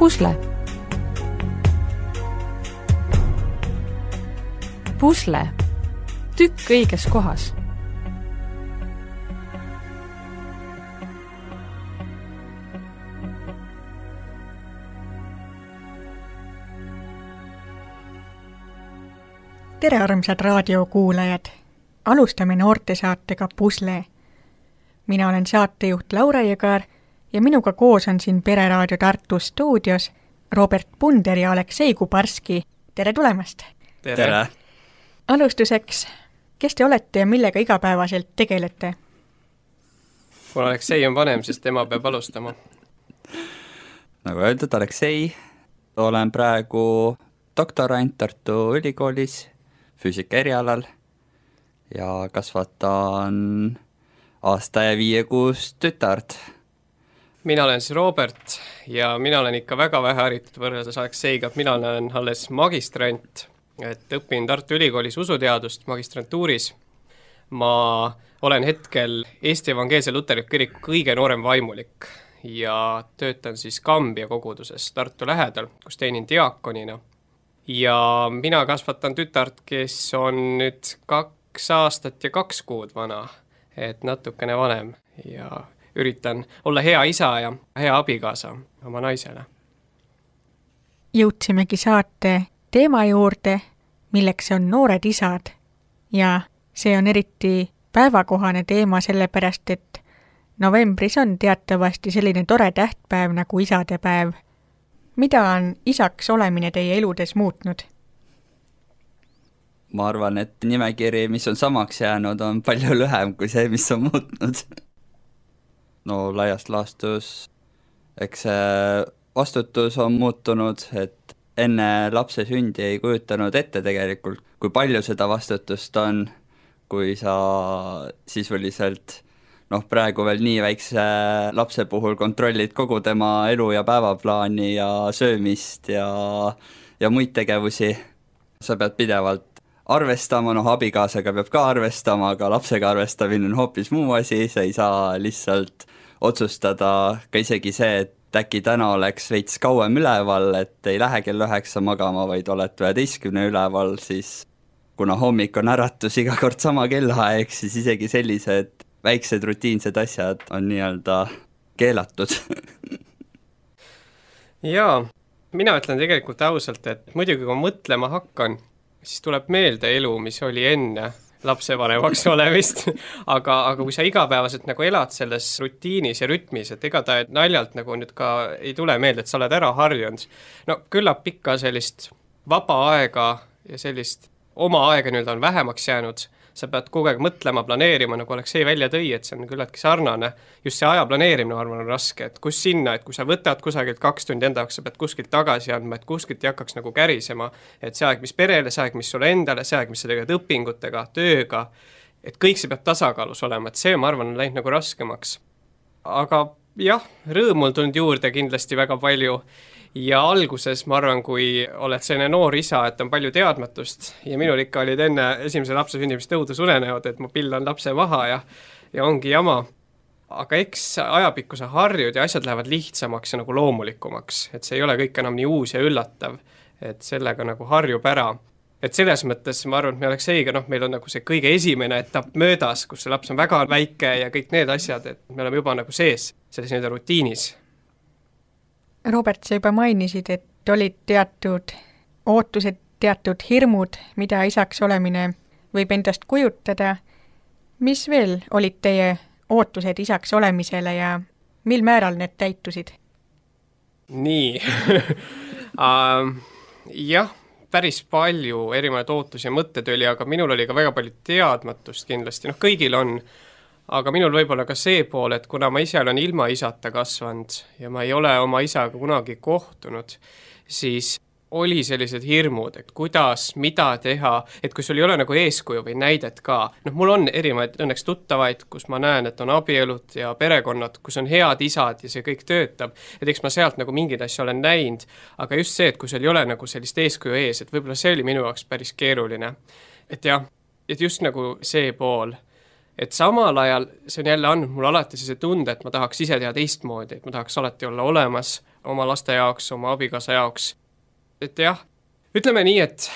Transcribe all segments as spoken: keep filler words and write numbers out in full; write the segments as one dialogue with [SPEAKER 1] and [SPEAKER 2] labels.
[SPEAKER 1] Pusle. Pusle. Tükk õiges kohas.
[SPEAKER 2] Tere armsad raadiokuulajad! Alustame noortesaatega Pusle. Mina olen saatejuht Laura Jõgar ja minuga koos on siin Pereraadio Tartu stuudios Robert Punder ja Aleksei Kubarski. Tere tulemast!
[SPEAKER 3] Tere! Tere.
[SPEAKER 2] Alustuseks, kes te olete ja millega igapäevaselt tegelete?
[SPEAKER 3] Mul Aleksei on vanem, sest tema peab alustama.
[SPEAKER 4] Nagu öeldud, Aleksei, olen praegu doktorant Tartu Ülikoolis füüsika erialal ja kasvatan aasta ja viie kuus tütart.
[SPEAKER 3] Mina olen siis Robert ja mina olen ikka väga vähe haritud võrreldes Alekseiga. Mina olen alles magistrant, et õpin Tartu Ülikoolis usuteadust magistrantuuris. Ma olen hetkel Eesti Evangeelse Luterliku Kiriku kõige noorem vaimulik ja töötan siis Kambja koguduses Tartu lähedal, kus teenin diaakonina. Ja mina kasvatan tütart, kes on nüüd kaks aastat ja kaks kuud vana, et natukene vanem ja üritan olla hea isa ja hea abikaasa oma naisele.
[SPEAKER 2] Jõudsimegi saate teema juurde, milleks on noored isad ja see on eriti päevakohane teema sellepärast, et novembris on teatavasti selline tore tähtpäev nagu isadepäev. Mida on isaks olemine teie eludes muutnud?
[SPEAKER 4] Ma arvan, et nimekiri, mis on samaks jäänud, on palju lühem kui see, mis on muutnud. No laiast laastus, eks see vastutus on muutunud, et enne lapse sündi ei kujutanud ette tegelikult, kui palju seda vastutust on, kui sa sisuliselt noh, praegu veel nii väikse lapse puhul kontrollid kogu tema elu ja päevaplaani ja söömist ja, ja muid tegevusi. Sa pead pidevalt arvestama, noh abikaasaga peab ka arvestama, aga lapsega arvestamine on hoopis muu asi, sa ei saa lihtsalt otsustada ka isegi see, et äkki täna oleks veits kauem üleval, et ei lähe kell üheksa magama, vaid oled üheteistkümne üleval, siis kuna hommik on äratus iga kord sama kellaaeg, siis isegi sellised väiksed rutiinsed asjad on nii-öelda keelatud. Jaa,
[SPEAKER 3] mina ütlen tegelikult ausalt, et muidugi kui ma mõtlema hakkan, siis tuleb meelde elu, mis oli enne lapsevanemaks olemist, aga, aga kui sa igapäevaselt nagu elad selles rutiinis ja rütmis, et ega ta naljalt nagu nüüd ka ei tule meelde, et sa oled ära harjunud. No küllap pikka sellist vaba aega ja sellist oma aega nüüd on vähemaks jäänud, sa pead kogu aeg mõtlema, planeerima, nagu Aleksei välja tõi, et see on küllaltki sarnane. Just see aja planeerimine, arvan, on raske, et kus sinna, et kui sa võtad kusagilt kaks tundi enda jaoks, sa pead kuskilt tagasi andma, et kuskilt ei hakkaks nagu kärisema, et see aeg, mis perele, see aeg, mis sulle endale, see aeg, mis sa teged õpingutega, tööga, et kõik see peab tasakaalus olema, et see, ma arvan, on läinud nagu raskemaks. Aga jah, rõõmul tulnud juurde kindlasti väga palju. Ja alguses ma arvan, kui oled selline noor isa, et on palju teadmatust ja minul ikka olid enne esimese lapse sündimist õudus unenäod, et ma pillan lapse maha ja, ja ongi jama. Aga eks ajapikku sa harjud ja asjad lähevad lihtsamaks ja nagu loomulikumaks, et see ei ole kõik enam nii uus ja üllatav, et sellega nagu harjub ära. Et selles mõttes ma arvan, et me oleks eiga, noh, meil on nagu see kõige esimene etapp möödas, kus see laps on väga väike ja kõik need asjad, et me oleme juba nagu sees selles nii-öelda rutiinis.
[SPEAKER 2] Robert, sa juba mainisid, et olid teatud ootused, teatud hirmud, mida isaks olemine võib endast kujutada. Mis veel olid teie ootused isaks olemisele ja mil määral need täitusid?
[SPEAKER 3] Nii, uh, jah, päris palju erinevaid ootusi ja mõtted oli, aga minul oli ka väga palju teadmatust kindlasti. Noh, kõigil on. Aga minul võib-olla ka see pool, et kuna ma ise olen ilma isata kasvanud ja ma ei ole oma isaga kunagi kohtunud, siis oli sellised hirmud, et kuidas, mida teha, et kui sul ei ole nagu eeskuju või näidet ka. Noh, mul on erinevaid õnneks tuttavaid, kus ma näen, et on abielud ja perekonnad, kus on head isad ja see kõik töötab. Et eks ma sealt nagu mingid asja olen näinud, aga just see, et kui sul ei ole nagu sellist eeskuju ees, et võib-olla see oli minu jaoks päris keeruline. Et jah, et just nagu see pool. Et samal ajal see on jälle andnud mul alati see tunde, et ma tahaks ise teha teistmoodi, et ma tahaks alati olla olemas, oma laste jaoks, oma abikaasa jaoks. Et jah, ütleme nii, et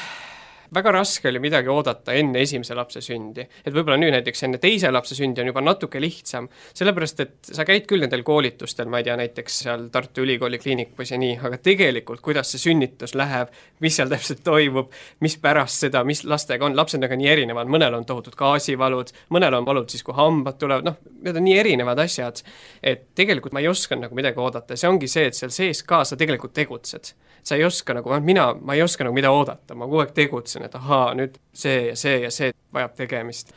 [SPEAKER 3] väga raske oli midagi oodata enne esimese lapse sündi. Et võib-olla nüüd näiteks enne teise lapse sündi on juba natuke lihtsam, sellepärast et sa käid küll nendel koolitustel, ma ei tea, näiteks seal Tartu Ülikooli kliinikus ja nii, aga tegelikult, kuidas see sünnitus läheb, mis seal täpselt toimub, mis pärast seda, mis lastega on, lapsed on nii erinevad, mõnel on tohutud gaasivalud, mõnel on valud siis, kui hambad tulevad, noh, need on nii erinevad asjad, et tegelikult ma ei oska nagu midagi oodata, see ongi see, et seal sees ka sa tegelikult tegutsed. Sa ei oska nagu, mina, ma ei oska nagu mida oodata, ma kogu aeg tegutsen, et ahaa, nüüd see ja see ja see vajab tegemist.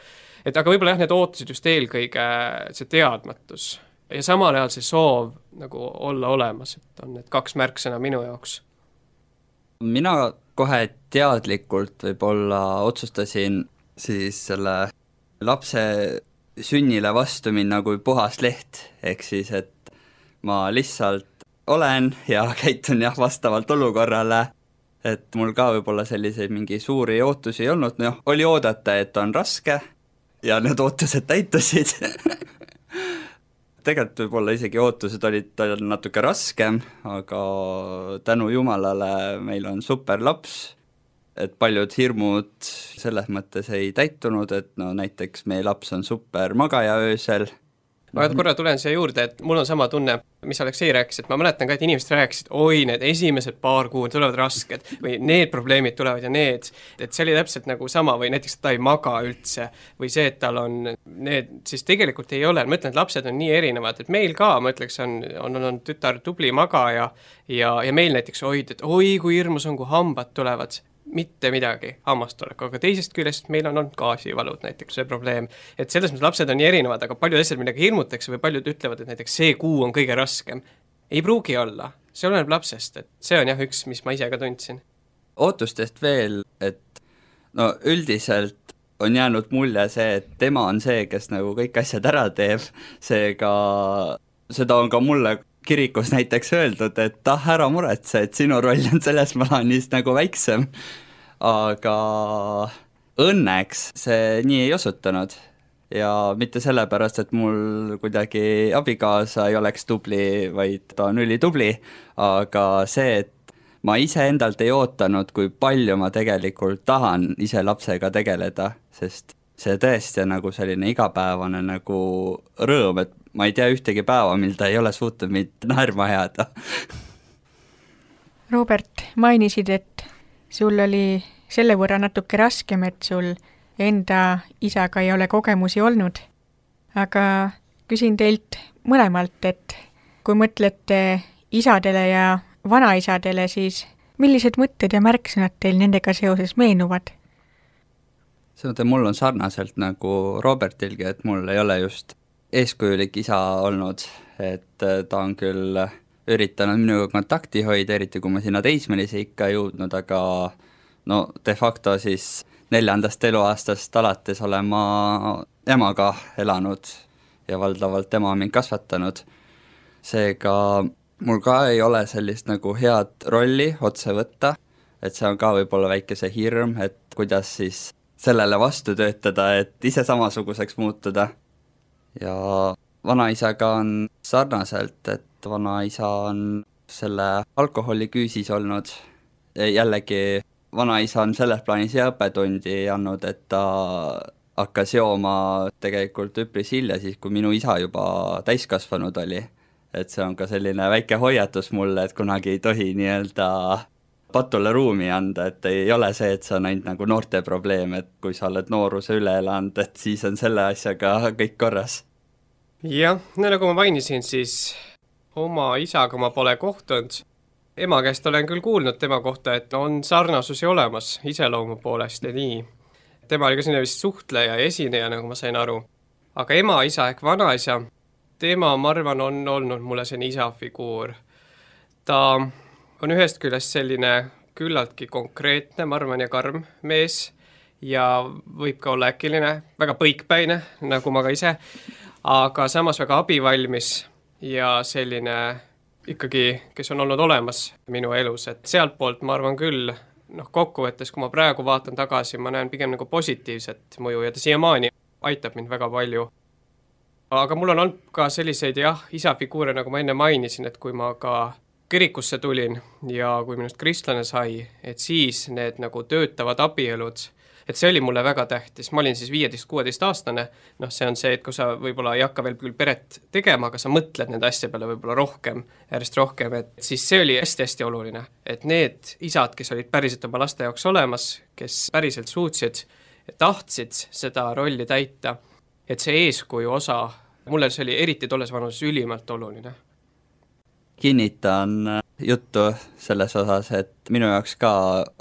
[SPEAKER 3] Et aga võib-olla jah, need ootasid just eelkõige see teadmatus ja samal ajal see soov nagu olla olemas, et on need kaks märksõna minu jaoks.
[SPEAKER 4] Mina kohe teadlikult võib-olla otsustasin siis selle lapse sünnile vastu minna kui puhas leht, ehk siis, et ma lihtsalt olen ja käitun jah vastavalt olukorrale, et mul ka võib-olla selliseid mingi suuri ootusi ei olnud, noh, oli oodata, et on raske ja need ootused täitusid. Tegelikult võib-olla isegi ootused olid natuke raskem, aga tänu Jumalale meil on super laps, et paljud hirmud selles mõttes ei täitunud, et no näiteks meie laps on super magaja öösel.
[SPEAKER 3] Ma korra tulen siia juurde, et mul on sama tunne, mis Aleksei rääkis, et ma mäletan ka, et inimesed rääkisid, oi, need esimesed paar kuud tulevad rasked või need probleemid tulevad ja need, et see oli täpselt nagu sama või näiteks, et ta ei maga üldse või see, et tal on need, siis tegelikult ei ole, ma ütlen, et lapsed on nii erinevad, et meil ka, ma ütleks, on, on, on tütar tubli magaja ja, ja meil näiteks oid, et oi, kui hirmus on, kui hambad tulevad, mitte midagi hammastolek, aga teisest küljest meil on olnud gaasivalud näiteks see probleem, et selles mõttes lapsed on nii erinevad, aga paljud asjad midagi hirmutakse või paljud ütlevad, et näiteks see kuu on kõige raskem. Ei pruugi olla, see oleneb lapsest, et see on jah üks, mis ma ise ka tundsin.
[SPEAKER 4] Ootustest veel, et no üldiselt on jäänud mulje see, et tema on see, kes nagu kõik asjad ära teeb, seega seda on ka mulle kirikus näiteks öeldud, et ah, ära muretse, et sinu roll on selles plaanis nagu väiksem, aga õnneks see nii ei osutunud ja mitte sellepärast, et mul kuidagi abikaasa ei oleks tubli, vaid ta on ülitubli, aga see, et ma ise endalt ei ootanud, kui palju ma tegelikult tahan ise lapsega tegeleda, sest see tõesti on nagu selline igapäevane nagu rõõm, et ma ei tea ühtegi päeva, mil ta ei ole suutnud mind naerma jääda.
[SPEAKER 2] Robert, mainisid, et sul oli selle võrra natuke raskem, et sul enda isaga ei ole kogemusi olnud. Aga küsin teilt mõlemalt, et kui mõtlete isadele ja vanaisadele, siis millised mõtted ja märksõnad teil nendega seoses meenuvad?
[SPEAKER 4] See mõte, mul on sarnaselt nagu Robertilgi, et mul ei ole just eeskujulik isa olnud, et ta on küll üritanud minuga kontakti hoida, eriti kui ma sinna teismelise ikka jõudnud, aga no de facto siis neljandast eluaastast alates olen ma emaga elanud ja valdavalt ema mind kasvatanud. Seega mul ka ei ole sellist nagu head rolli otse võtta, et see on ka võib-olla väike see hirm, et kuidas siis sellele vastu töötada, et ise samasuguseks muutuda. Ja vanaisaga on sarnaselt, et vanaisa on selle alkoholi küüsis olnud. Jällegi vanaisa on selles plaanis hea õppetundi andnud, et ta hakkas jooma tegelikult üpris hilja, siis kui minu isa juba täiskasvanud oli. Et see on ka selline väike hoiatus mulle, et kunagi ei tohi nii-öelda patule ruumi anda, et ei ole see, et see on ainult nagu noorte probleem, et kui sa oled nooruse üle elanud, et siis on selle asjaga kõik korras.
[SPEAKER 3] Jah, no nagu ma mainisin, siis oma isaga ma pole kohtunud. Ema käest olen küll kuulnud tema kohta, et on sarnasusi olemas iseloomu poolest ja nii. Tema oli ka sinna vist suhtleja ja esineja, nagu ma sain aru. Aga ema, isa ehk vanaisa, tema, ma arvan, on olnud mulle selline isafiguur. Ta on ühest küljest selline küllaltki konkreetne, ma arvan, ja karm mees ja võib ka olla äkiline, väga põikpäine, nagu ma ka ise, aga samas väga abivalmis ja selline ikkagi, kes on olnud olemas minu elus, et sealt poolt ma arvan küll, noh kokkuvõttes, kui ma praegu vaatan tagasi, ma näen pigem nagu positiivset mõju ja ta siiamaani aitab mind väga palju. Aga mul on olnud ka selliseid jah, isafiguure, nagu ma enne mainisin, et kui ma ka kirikusse tulin ja kui minust kristlane sai, et siis need nagu töötavad abielud, et see oli mulle väga tähtis, ma olin siis viieteist kuueteist aastane, noh see on see, et kui sa võib-olla ei hakka veel küll peret tegema, aga sa mõtled nende asja peale võib-olla rohkem, järjest rohkem, et siis see oli hästi-hästi oluline, et need isad, kes olid päriselt oma laste jaoks olemas, kes päriselt suutsid, tahtsid seda rolli täita, et see eeskuju osa, mulle see oli eriti tolles vanuses ülimalt oluline.
[SPEAKER 4] Kinnitan juttu selles osas, et minu jaoks ka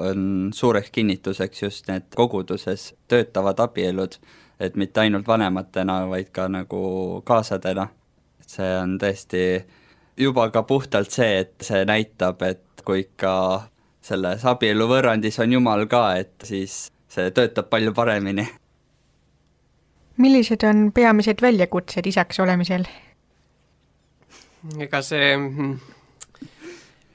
[SPEAKER 4] on suureks kinnituseks just need koguduses töötavad abielud, et mitte ainult vanematena, vaid ka nagu kaasadena. See on tõesti juba ka puhtalt see, et see näitab, et kui ikka selles abielu võrrandis on Jumal ka, et siis see töötab palju paremini.
[SPEAKER 2] Millised on peamised väljakutsed isaks olemisel?
[SPEAKER 3] Ega see mm,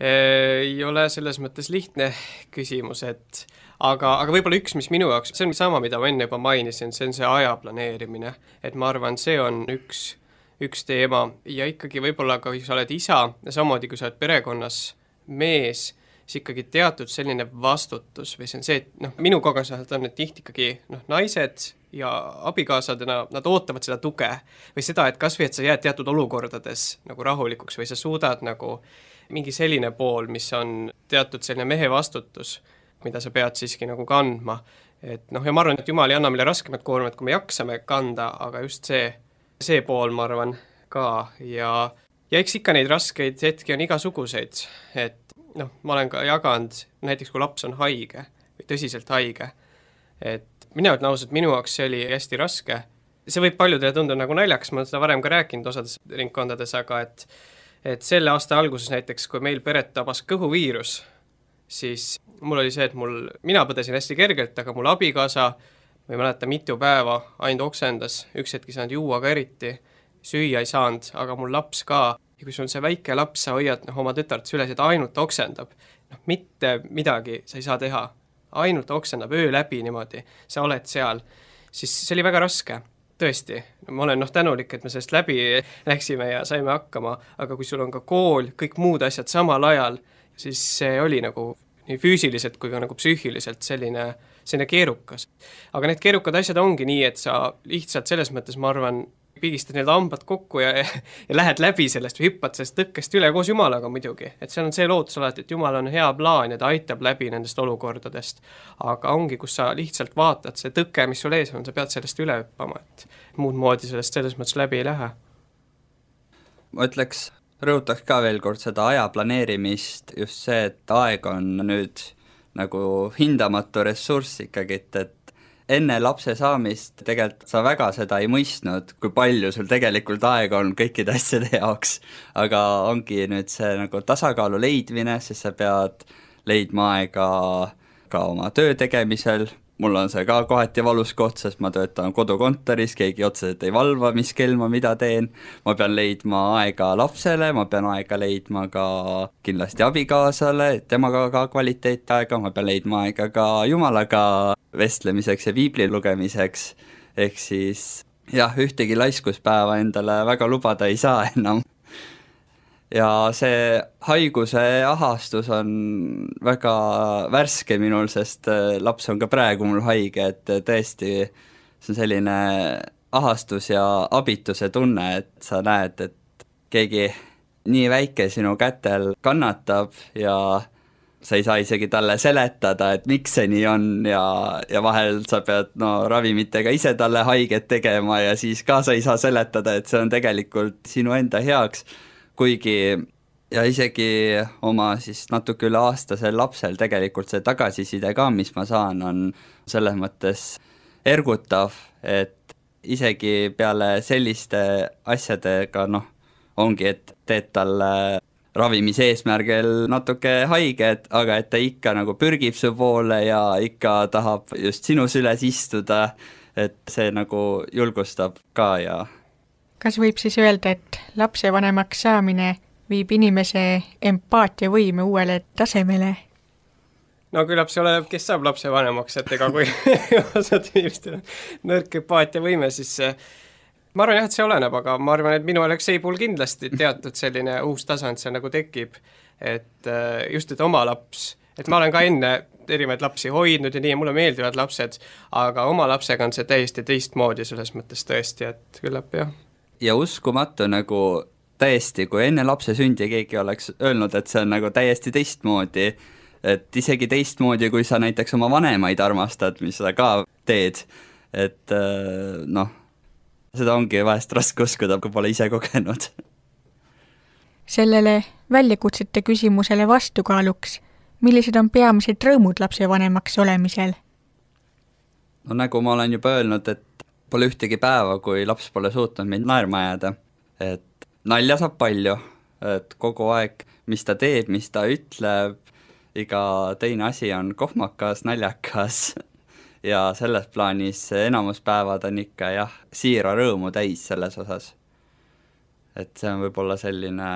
[SPEAKER 3] ei ole selles mõttes lihtne küsimus, et aga, aga võib-olla üks, mis minu jaoks, see on sama, mida ma enne juba mainisin, see on see aja planeerimine, et ma arvan, see on üks, üks teema ja ikkagi võib-olla ka, kui sa oled isa ja samamoodi, kui sa oled perekonnas mees, siis ikkagi teatud selline vastutus või see on see, et noh, minu kogemuselt on need tihti ikkagi noh, naised ja abikaasadena, nad ootavad seda tuge või seda, et kas või, et sa jääd teatud olukordades nagu rahulikuks või sa suudad nagu mingi selline pool, mis on teatud selline mehe vastutus, mida sa pead siiski nagu kandma. Et noh, ja ma arvan, et Jumal ei anna meile raskemat koormat, kui me jaksame kanda, aga just see, see pool, ma arvan, ka ja, ja eks ikka neid raskeid hetki on igasuguseid, et noh, ma olen ka jaganud, näiteks kui laps on haige või tõsiselt haige, et mina ütlen ausalt, minu jaoks see oli hästi raske. See võib paljudele tunda nagu naljaks, ma olen seda varem ka rääkinud osades ringkondades, aga et, et selle aasta alguses näiteks, kui meil peret tabas kõhuviirus, siis mul oli see, et mul, mina põdesin hästi kergelt, aga mul abikaasa, ma ei mäleta mitu päeva ainult oksendas, üks hetk ei saanud juua ka eriti, süüa ei saanud, aga mul laps ka. Ja kui sul on see väike laps, sa hoiad noh, oma tütart süles, et ainult oksendab, noh, mitte midagi sa ei saa teha. Ainult oksendab öö läbi niimoodi, sa oled seal, siis see oli väga raske, tõesti. Ma olen noh tänulik, et me sellest läbi läksime ja saime hakkama, aga kui sul on ka kool, kõik muud asjad samal ajal, siis see oli nagu nii füüsiliselt kui ka nagu psüühiliselt selline, selline keerukas. Aga need keerukad asjad ongi nii, et sa lihtsalt selles mõttes, ma arvan, pigistad need hambad kokku ja, ja lähed läbi sellest või hüppad sellest tõkkest üle koos Jumalaga muidugi. Et see on see lootus alati, et Jumal on hea plaan ja ta aitab läbi nendest olukordadest. Aga ongi, kus sa lihtsalt vaatad, see tõke, mis sul ees on, sa pead sellest üle hüppama, et muud moodi sellest selles mõttes läbi ei lähe.
[SPEAKER 4] Ma ütleks, rõhutaks ka veel kord seda aja planeerimist, just see, et aeg on nüüd nagu hindamatu ressurss ikkagi, et, et enne lapse saamist tegelikult sa väga seda ei mõistnud, kui palju sul tegelikult aega on kõikide asjade jaoks, aga ongi nüüd see nagu tasakaalu leidmine, sest sa pead leidma aega ka oma töö tegemisel. Mul on see ka kohati valus koht, sest ma töötan kodukontoris, keegi otseselt ei valva, mis kell ma mida teen. Ma pean leidma aega lapsele, ma pean aega leidma ka kindlasti abikaasale, temaga ka kvaliteetaega, ma pean leidma aega ka Jumalaga vestlemiseks ja piibli lugemiseks. Ehk siis jah, ühtegi laiskuspäeva endale väga lubada ei saa enam. Ja see haiguse ahastus on väga värske minul, sest laps on ka praegu mul haige, et tõesti see on selline ahastus ja abituse tunne, et sa näed, et keegi nii väike sinu kätel kannatab ja sa ei saa isegi talle seletada, et miks see nii on ja, ja vahel sa pead no, ravimitega ise talle haiget tegema ja siis ka sa ei saa seletada, et see on tegelikult sinu enda heaks. Kuigi ja isegi oma siis natuke üle aastasel lapsel tegelikult see tagasiside ka, mis ma saan, on selles mõttes ergutav, et isegi peale selliste asjadega, noh, ongi, et teed talle ravimise eesmärgil natuke haiget, aga et ta ikka nagu pürgib su poole ja ikka tahab just sinu süles istuda, et see nagu julgustab ka ja
[SPEAKER 2] kas võib siis öelda, et lapsevanemaks saamine viib inimese empaatiavõime uuele tasemele?
[SPEAKER 3] No küllap see oleneb, kes saab lapsevanemaks, et ega kui osad inimestel on nõrk empaatiavõime, siis ma arvan jah, et see oleneb, aga ma arvan, et minu Aleksei puhul kindlasti teatud selline uus tasand see nagu tekib. et just, et oma laps, et ma olen ka enne erinevaid lapsi hoidnud ja nii, ja mulle meeldivad lapsed, aga oma lapsega on see täiesti teistmoodi selles mõttes tõesti, et küllap jah.
[SPEAKER 4] Ja uskumatu nagu täiesti, kui enne lapse sündi keegi oleks öelnud, et see on nagu täiesti teistmoodi, et isegi teistmoodi, kui sa näiteks oma vanemaid armastad, mis sa ka teed, et noh, seda ongi vahest raske uskuda, kui pole ise kogenud.
[SPEAKER 2] Sellele väljakutsete küsimusele vastukaaluks, millised on peamised rõõmud lapsevanemaks olemisel?
[SPEAKER 4] No nagu ma olen juba öelnud, et pole ühtegi päeva, kui laps pole suutnud meid naerma jääda. Et nalja saab palju, et kogu aeg, mis ta teeb, mis ta ütleb, iga teine asi on kohmakas, naljakas ja selles plaanis enamus päevad on ikka jah, siira rõõmu täis selles osas. Et see on võib-olla selline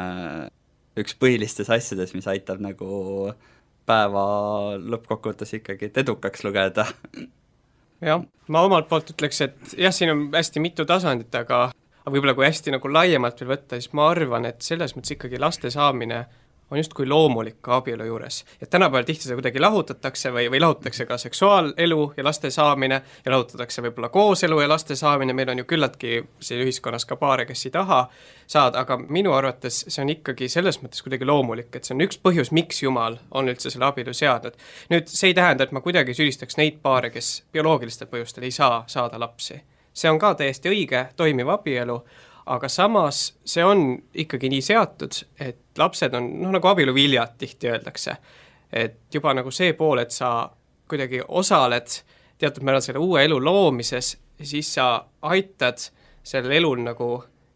[SPEAKER 4] üks põhilistes asjades, mis aitab nagu päeva lõppkokkuvõttes ikkagi edukaks lugeda.
[SPEAKER 3] Jah, ma omalt poolt ütleks, et jah, siin on hästi mitu tasandit, aga võib-olla kui hästi nagu laiemalt veel võtta, siis ma arvan, et selles mõttes ikkagi laste saamine on just kui loomulik ka abielu juures. Et tänapäeval tihti seda kuidagi lahutatakse või, või lahutatakse ka seksuaalelu ja laste saamine ja lahutatakse võib-olla kooselu ja laste saamine, meil on ju küllaltki siin ühiskonnas ka paare, kes ei taha saada, aga minu arvates see on ikkagi selles mõttes kuidagi loomulik, et see on üks põhjus, miks Jumal on üldse selle abielu seadnud. Nüüd see ei tähenda, et ma kuidagi süüdistaks neid paare, kes bioloogilistel põhjustel ei saa saada lapsi. See on ka täiesti õige, toimiv abielu, aga samas see on ikkagi nii seatud, et lapsed on, noh nagu abielu viljad tihti öeldakse, et juba nagu see pool, et sa kuidagi osaled teatud määral selle uue elu loomises, siis sa aitad sellel elul nagu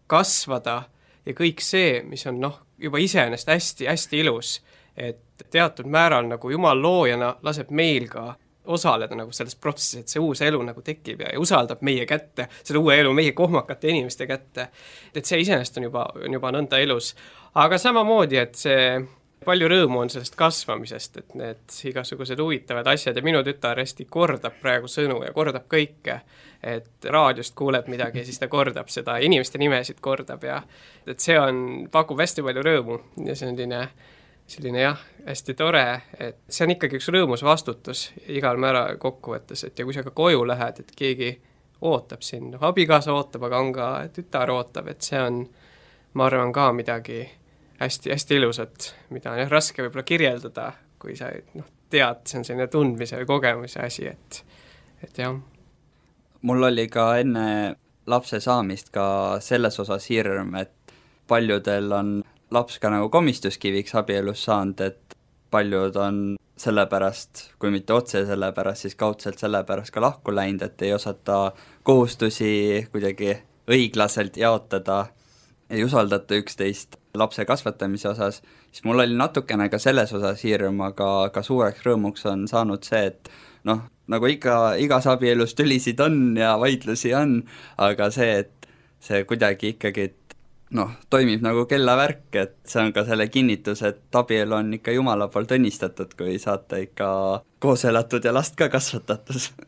[SPEAKER 3] kasvada ja kõik see, mis on noh, juba iseenesest hästi, hästi ilus, et teatud määral nagu Jumal loojana laseb meil ka osaleda nagu selles protsessis, et see uus elu nagu tekib ja, ja usaldab meie kätte, selle uue elu meie kohmakate inimeste kätte. Et see iseenesest on juba, on juba nõnda elus. Aga samamoodi, et see palju rõõmu on sellest kasvamisest, et need igasugused huvitavad asjad ja minu tütar hästi kordab praegu sõnu ja kordab kõike, et raadiost kuuleb midagi ja siis ta kordab seda, inimeste nimesid kordab ja et see on, pakub hästi palju rõõmu ja see on selline selline jah, hästi tore, et see on ikkagi üks rõõmus vastutus igal määral kokkuvõttes, et ja kui sa ka koju lähed, et keegi ootab sind, noh, abikaasa ootab, aga on ka tütar ootab, et see on, ma arvan, ka midagi hästi, hästi ilusat, mida on jah, raske võib-olla kirjeldada, kui sa noh, tead, see on selline tundmise või kogemuse asi, et, et jah.
[SPEAKER 4] Mul oli ka enne lapse saamist ka selles osas hirm, et paljudel on laps ka nagu komistuskiviks abielus saanud, et paljud on sellepärast, kui mitte otse sellepärast, siis kaudselt sellepärast ka lahku läinud, et ei osata kohustusi kuidagi õiglaselt jaotada, ei usaldata üksteist lapse kasvatamise osas, siis mul oli natukene ka selles osas hirm, aga ka suureks rõõmuks on saanud see, et noh, nagu iga, igas abielus tülisid on ja vaidlusi on, aga see, et see kuidagi ikkagi noh, toimib nagu kellavärk, et see on ka selle kinnitus, et abielu on ikka Jumala poolt õnnistatud, kui saate ikka koos elatud ja last ka kasvatatud.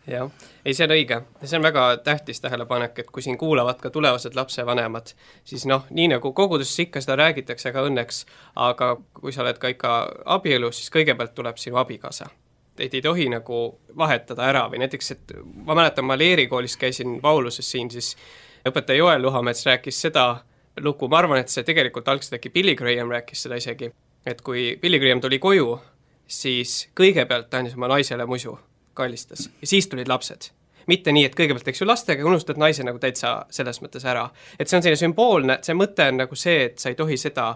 [SPEAKER 3] Jah, ei see on õige. See on väga tähtis tähelepanek, et kui siin kuulavad ka tulevased lapsevanemad, siis noh, nii nagu koguduses ikka seda räägitakse ka õnneks, aga kui sa oled ka ikka abielus, siis kõigepealt tuleb sinu abikaasa. Et ei tohi nagu vahetada ära või näiteks, et ma mäletan, ma Leeri koolis käisin Pauluses siin, siis õpetaja Joel Luhamets rääkis seda lugu, ma arvan, et see tegelikult algselt äkki Billy Graham rääkis seda isegi, et kui Billy Graham tuli koju, siis kõigepealt ta andis oma naisele musu, kallistas ja siis tulid lapsed. Mitte nii, et kõigepealt eks ju lastega unustad naise nagu täitsa selles mõttes ära. Et see on selline sümboolne, see mõte on nagu see, et sa ei tohi seda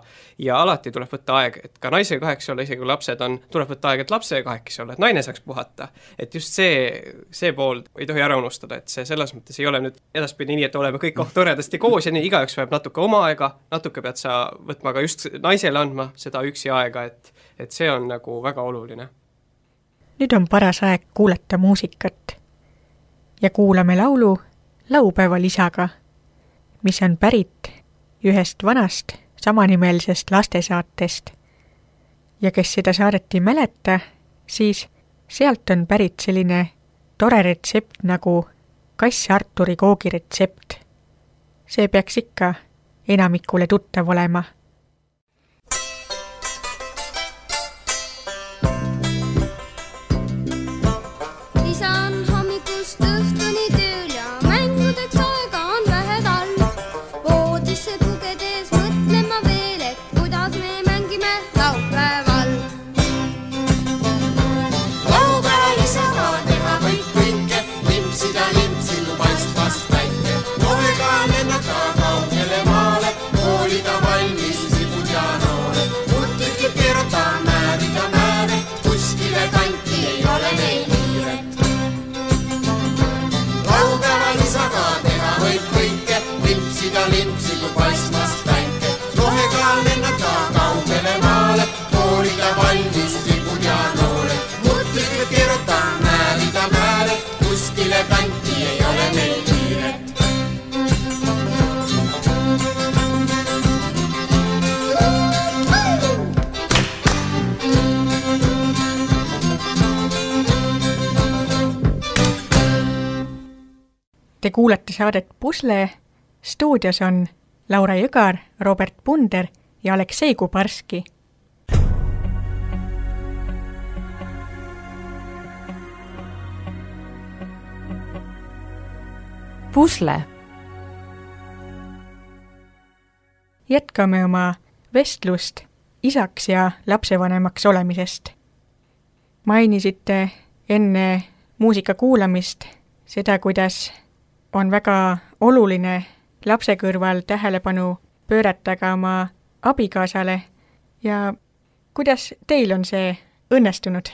[SPEAKER 3] ja alati tuleb võtta aeg, et ka naisega kahekesi olla, isegi kui lapsed on, tuleb võtta aeg, et lapsega kahekesi olla, et naine saaks puhata. Et just see, see pool ei tohi ära unustada, et see selles mõttes ei ole nüüd edaspidi nii, et oleme kõik oh, toredasti koos ja nii igaüks vajab natuke oma aega, natuke pead sa võtma ka just naisele andma seda üksi aega, et, et see on nagu väga oluline.
[SPEAKER 2] Nüüd on paras aeg kuulata muusikat. Ja kuulame laulu laupäeva lisaga, mis on pärit ühest vanast samanimelisest lastesaatest. Ja kes seda saadet ei mäleta, siis sealt on pärit selline tore retsept nagu kass Arturi koogiretsept. See peaks ikka enamikule tuttav olema. Te kuulete saadet Pusle, stuudios on Laura Jõgar, Robert Punder ja Aleksei Kubarski.
[SPEAKER 1] Pusle.
[SPEAKER 2] Jätkame oma vestlust isaks ja lapsevanemaks olemisest. Mainisite enne muusika kuulamist seda, kuidas on väga oluline lapse kõrval tähelepanu pöörata ka oma abikaasale ja kuidas teil on see õnnestunud?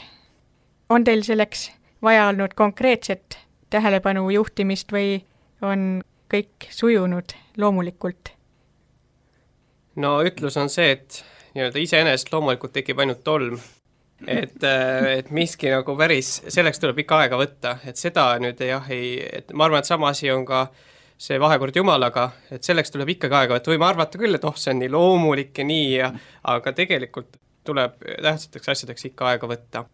[SPEAKER 2] On teil selleks vaja olnud konkreetset tähelepanu juhtimist või on kõik sujunud loomulikult?
[SPEAKER 3] No ütlus on see, et nii-öelda iseenesest loomulikult tekib ainult tolm. Et, et miski nagu päris, selleks tuleb ikka aega võtta, et seda nüüd jah, ei, et ma arvan, et sama asi on ka see vahekord Jumalaga, et selleks tuleb ikkagi aega võtta, võime arvata küll, et oh, see on nii loomulik ja nii, ja, aga tegelikult tuleb tähtsateks asjadeks ikka aega võtta.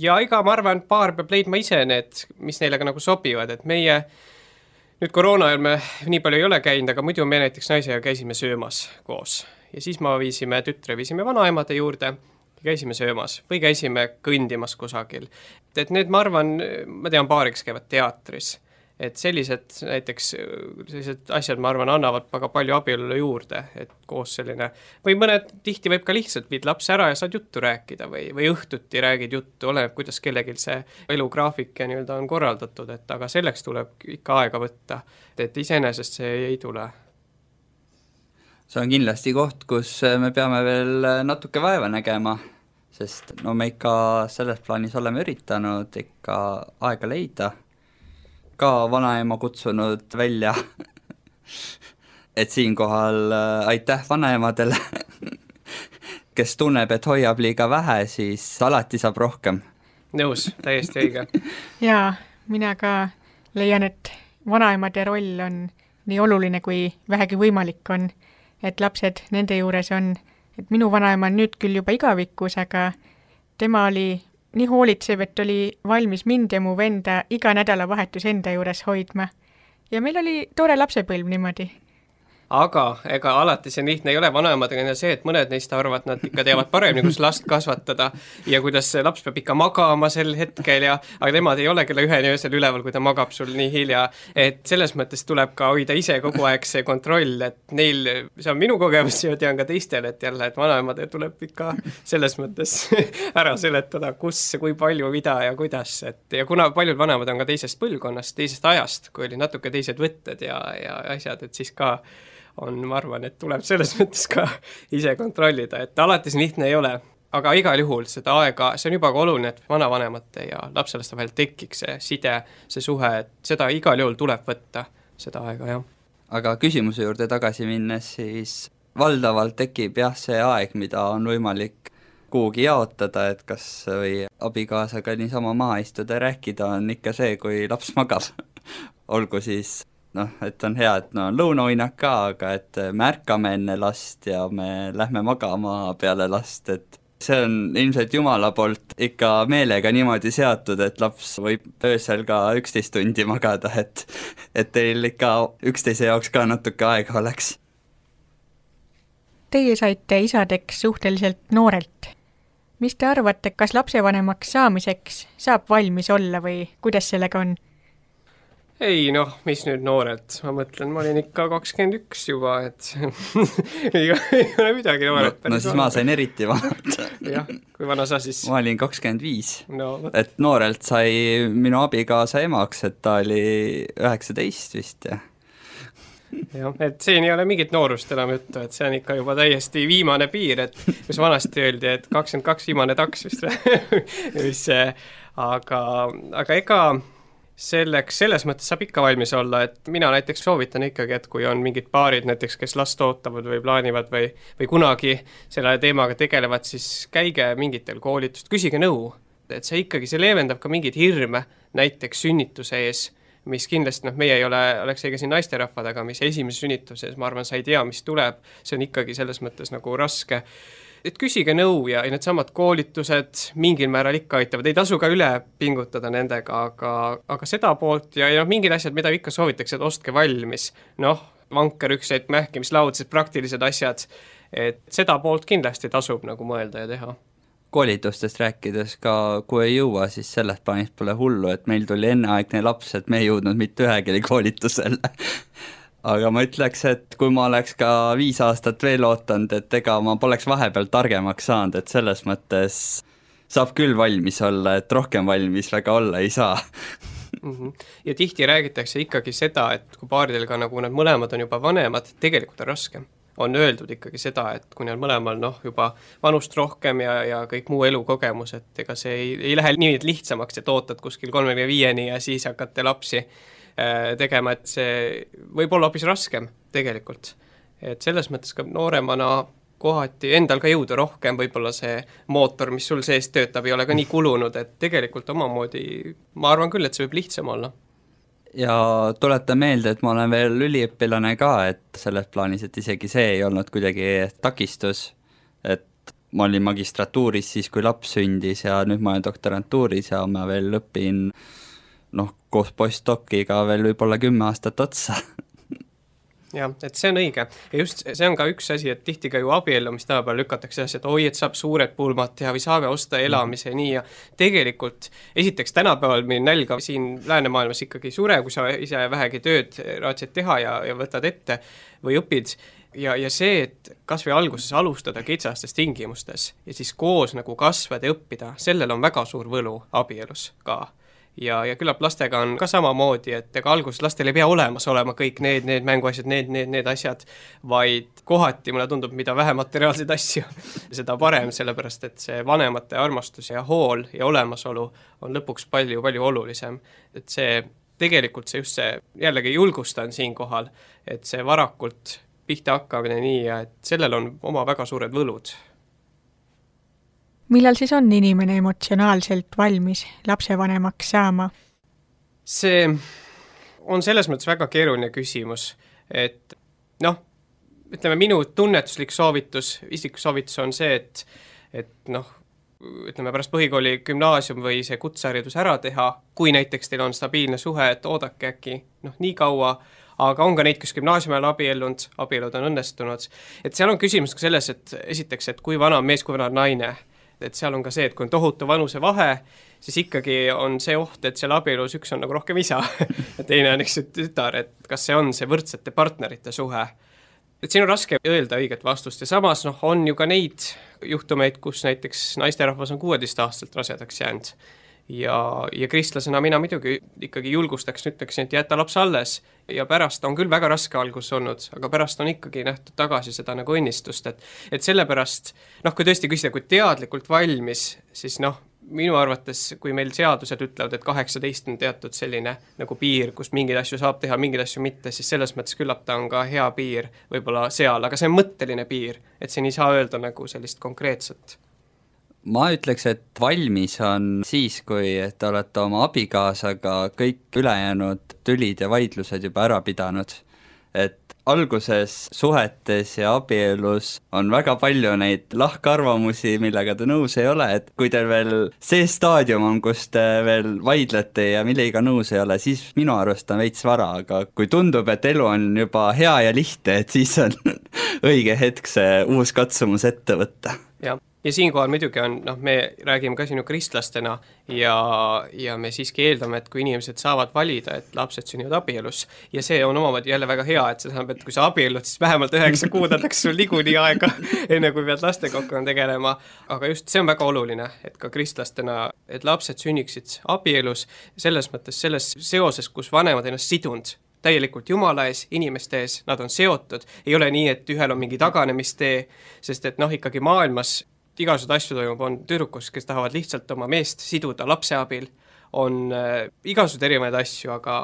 [SPEAKER 3] Ja iga, ma arvan, paar peab leidma ise need, mis neile ka nagu sobivad, et meie nüüd koroona ajal me nii palju ei ole käinud, aga muidu me näiteks naisega käisime söömas koos ja siis ma viisime tütre, viisime vanaemade juurde, käisime söömas või käisime kõndimas kusagil. Et need, ma arvan, ma tean paari, kes käivad teatris, et sellised näiteks sellised asjad, ma arvan, annavad väga palju abielule juurde, et koos selline, või mõned tihti võib ka lihtsalt viid lapse ära ja saad juttu rääkida või, või õhtuti räägid juttu, oleneb, kuidas kellelgi see elugraafik ja nii-öelda on korraldatud, et aga selleks tuleb ikka aega võtta, et iseenesest see ei tule.
[SPEAKER 4] See on kindlasti koht, kus me peame veel natuke vaeva nägema, sest no me ikka selles plaanis oleme üritanud ikka aega leida, ka vanaema kutsunud välja, et siinkohal aitäh vanaemadele, kes tunneb, et hoiab liiga vähe, siis alati saab rohkem.
[SPEAKER 3] Nõus, täiesti õige.
[SPEAKER 2] Jaa, mina ka leian, et vanaemade roll on nii oluline, kui vähegi võimalik on, et lapsed nende juures on, et minu vanaema on nüüd küll juba igavikus, aga tema oli nii hoolitsev, et oli valmis mind ja mu venda iga nädalavahetus enda juures hoidma. Ja meil oli tore lapsepõlv niimoodi.
[SPEAKER 3] Aga ega alati see lihtne ei ole vanaemadega see, et mõned neist arvavad, nad ikka teavad paremini, kus last kasvatada ja kuidas laps peab ikka magama sel hetkel, ja, aga nemad ei ole kella üheni öösel üleval, kui ta magab sul nii hilja. Et selles mõttes tuleb ka hoida ise kogu aeg see kontroll, et neil, see on minu kogemus ja tean ka teistel, et jälle, et vanaemade tuleb ikka selles mõttes ära seletada, kus, kui palju, mida ja kuidas. Et, ja kuna paljud vanemad on ka teisest põlvkonnast, teisest ajast, kui oli natuke teised võtted ja, ja asjad, et siis ka on, ma arvan, et tuleb selles mõttes ka ise kontrollida, et alati see lihtne ei ole, aga igal juhul seda aega, see on juba ka oluline, et vanavanemate ja lapselaste vahel tekiks see side, see suhe, et seda igal juhul tuleb võtta, seda aega, jah.
[SPEAKER 4] Aga küsimuse juurde tagasi minnes, siis valdavalt tekib jah see aeg, mida on võimalik kuhugi jaotada, et kas või abikaasaga niisama maha istuda ja rääkida on ikka see, kui laps magab. Olgu siis noh, et on hea, et no on lõunauinak ka, aga et me ärkame enne last ja me lähme magama peale last, et see on ilmselt Jumala poolt ikka meelega niimoodi seatud, et laps võib öösel ka üksteist tundi magada, et, et teil ikka üksteise jaoks ka natuke aega oleks.
[SPEAKER 2] Teie saite isadeks suhteliselt noorelt. Mis te arvate, kas lapsevanemaks saamiseks saab valmis olla või kuidas sellega on?
[SPEAKER 3] Ei, noh, mis nüüd noorelt, ma mõtlen, ma olin ikka kakskümmend üks juba, et ei ole midagi nooret.
[SPEAKER 4] No, no siis ma sain eriti vanalt.
[SPEAKER 3] Jah, kui vana sa siis?
[SPEAKER 4] Ma olin kakskümmend viis,
[SPEAKER 3] no,
[SPEAKER 4] et noorelt sai minu abikaasa emaks, et ta oli üheksateist vist, jah.
[SPEAKER 3] Jah, et siin ei ole mingit noorust enam juttu, et see on ikka juba täiesti viimane piir, et kus vanasti öeldi, et kakskümmend kaks viimane taks vist mis, aga, aga ega selleks, selles mõttes saab ikka valmis olla, et mina näiteks soovitan ikkagi, et kui on mingid paarid näiteks, kes last ootavad või plaanivad või, või kunagi selle teemaga tegelevad, siis käige mingitel koolitust, küsige nõu, et see ikkagi, see leevendab ka mingid hirme näiteks sünnituse ees, mis kindlasti, noh, meie ei ole, oleks eiga siin naisterahvad, aga mis esimese sünnituses, ma arvan, sa ei tea, mis tuleb, see on ikkagi selles mõttes nagu raske et küsige nõu ja need samad koolitused mingil määral ikka aitavad, ei tasu ka üle pingutada nendega, aga, aga seda poolt ja, ja noh, mingid asjad, mida ikka soovitakse, et ostke valmis, noh, vankerükseid, mähkimislaud, praktilised asjad, et seda poolt kindlasti tasub nagu mõelda ja teha.
[SPEAKER 4] Koolitustest rääkides ka, kui ei jõua, siis sellest plaanist pole hullu, et meil tuli enneaegne laps, et me ei jõudnud mitte ühegile koolitusele. Aga ma ütleks, et kui ma oleks ka viis aastat veel ootanud, et ega ma poleks vahepeal targemaks saanud, et selles mõttes saab küll valmis olla, et rohkem valmis väga olla ei saa.
[SPEAKER 3] Ja tihti räägitakse ikkagi seda, et kui paaridel ka nagu nad mõlemad on juba vanemad, tegelikult on raskem. On öeldud ikkagi seda, et kui neil mõlemal noh, juba vanust rohkem ja, ja kõik muu elukogemus, et ega see ei, ei lähe nii lihtsamaks, et ootad kuskil kolmekümne viieni ja siis hakkate lapsi äh, tegema, et see võib olla hoopis raskem tegelikult. Et selles mõttes ka nooremana kohati endal ka jõuda rohkem, võib-olla see mootor, mis sul sees töötab, ei ole ka nii kulunud, et tegelikult omamoodi, ma arvan küll, et see võib lihtsam olla.
[SPEAKER 4] Ja tuletan meelde, et ma olen veel üliõpilane ka, et selles plaanis, et isegi see ei olnud kuidagi takistus, et ma olin magistratuuris siis, kui laps sündis ja nüüd ma olen doktorantuuris ja ma veel õpin noh, koos postdokiga veel võib-olla kümme aastat otsa.
[SPEAKER 3] Jah, et see on õige. Ja just see on ka üks asi, et tihti ka ju abiellu, mis tänapäeval lükatakse asja, et oi, et saab suured pulmad teha või saame osta elamise mm. nii ja tegelikult esiteks tänapäeval meil nälga siin läänemaailmas ikkagi sure, kui sa ise vähegi tööd raatsid teha ja, ja võtad ette või õpid ja, ja see, et kas või alguses alustada kitsastes tingimustes ja siis koos nagu kasvada ja õppida, sellel on väga suur võlu abielus ka. Ja, ja küllap lastega on ka samamoodi, et ega alguses lastel ei pea olemas olema kõik need, need mänguasjad, need, need, need asjad, vaid kohati mulle tundub, mida vähem materiaalseid asju, seda parem, sellepärast et see vanemate armastus ja hool ja olemasolu on lõpuks palju, palju olulisem. Et see tegelikult see just see, jällegi julgustan siin kohal, et see varakult pihta hakkamine nii ja et sellel on oma väga suured võlud.
[SPEAKER 2] Millal siis on inimene emotsionaalselt valmis lapsevanemaks saama?
[SPEAKER 3] See on selles mõttes väga keeruline küsimus, et noh, ütleme minu tunnetuslik soovitus, isiklik soovitus on see, et, et noh, ütleme pärast põhikooli gümnaasium või see kutseharidus ära teha, kui näiteks teil on stabiilne suhe, et oodake äkki noh, nii kaua, aga on ka neid, kes gümnaasiumi ajal abiellunud, abielud on õnnestunud, et seal on küsimus ka selles, et esiteks, et kui vana on mees, kui vana on naine, et seal on ka see, et kui on tohutu vanuse vahe, siis ikkagi on see oht, et seal abielus üks on nagu rohkem isa ja teine on üks tütar, et kas see on see võrdsete partnerite suhe. Et siin on raske öelda õiget vastust ja samas noh, on ju ka neid juhtumeid, kus näiteks naisterahvas on kuueteist aastaselt rasedaks jäänud ja, ja kristlasena mina muidugi ikkagi julgustaks, ütleksin, et jäta laps alles ja pärast on küll väga raske algus olnud, aga pärast on ikkagi nähtud tagasi seda nagu õnnistust, et, et sellepärast, noh, kui tõesti küsida, kui teadlikult valmis, siis noh, minu arvates, kui meil seadused ütlevad, et kaheksateist on teatud selline nagu piir, kus mingeid asju saab teha, mingeid asju mitte, siis selles mõttes küllap ta on ka hea piir võib-olla seal, aga see on mõtteline piir, et siin ei saa öelda nagu sellist konkreetset.
[SPEAKER 4] Ma ütleks, et valmis on siis, kui te olete oma abikaasaga kõik ülejäänud tülid ja vaidlused juba ära pidanud. Et alguses suhetes ja abielus on väga palju neid lahkarvamusi, millega te nõus ei ole, et kui teil veel see staadium on, kus te veel vaidlete ja millega nõus ei ole, siis minu arust on veits vara, aga kui tundub, et elu on juba hea ja lihtne, et siis on õige hetk see uus katsumus ette võtta.
[SPEAKER 3] Jah. Ja siinkohal muidugi on, noh, me räägime ka sinu kristlastena ja, ja me siiski eeldame, et kui inimesed saavad valida, et lapsed sünnivad abielus ja see on omamoodi jälle väga hea, et see tähendab, et kui sa abiellud, siis vähemalt üheksa kuud annaks sul niikuinii aega, enne kui pead lastega hakkama tegelema, aga just see on väga oluline, et ka kristlastena, et lapsed sünniksid abielus, selles mõttes selles seoses, kus vanemad ennast sidunud täielikult Jumala ees, inimeste ees, nad on seotud, ei ole nii, et ühel on mingi taganemistee, sest et noh, ikkagi maailmas igasugused asju toimub, on tüdrukus, kes tahavad lihtsalt oma meest siduda lapse abil, on äh, igasugused erinevaid asju, aga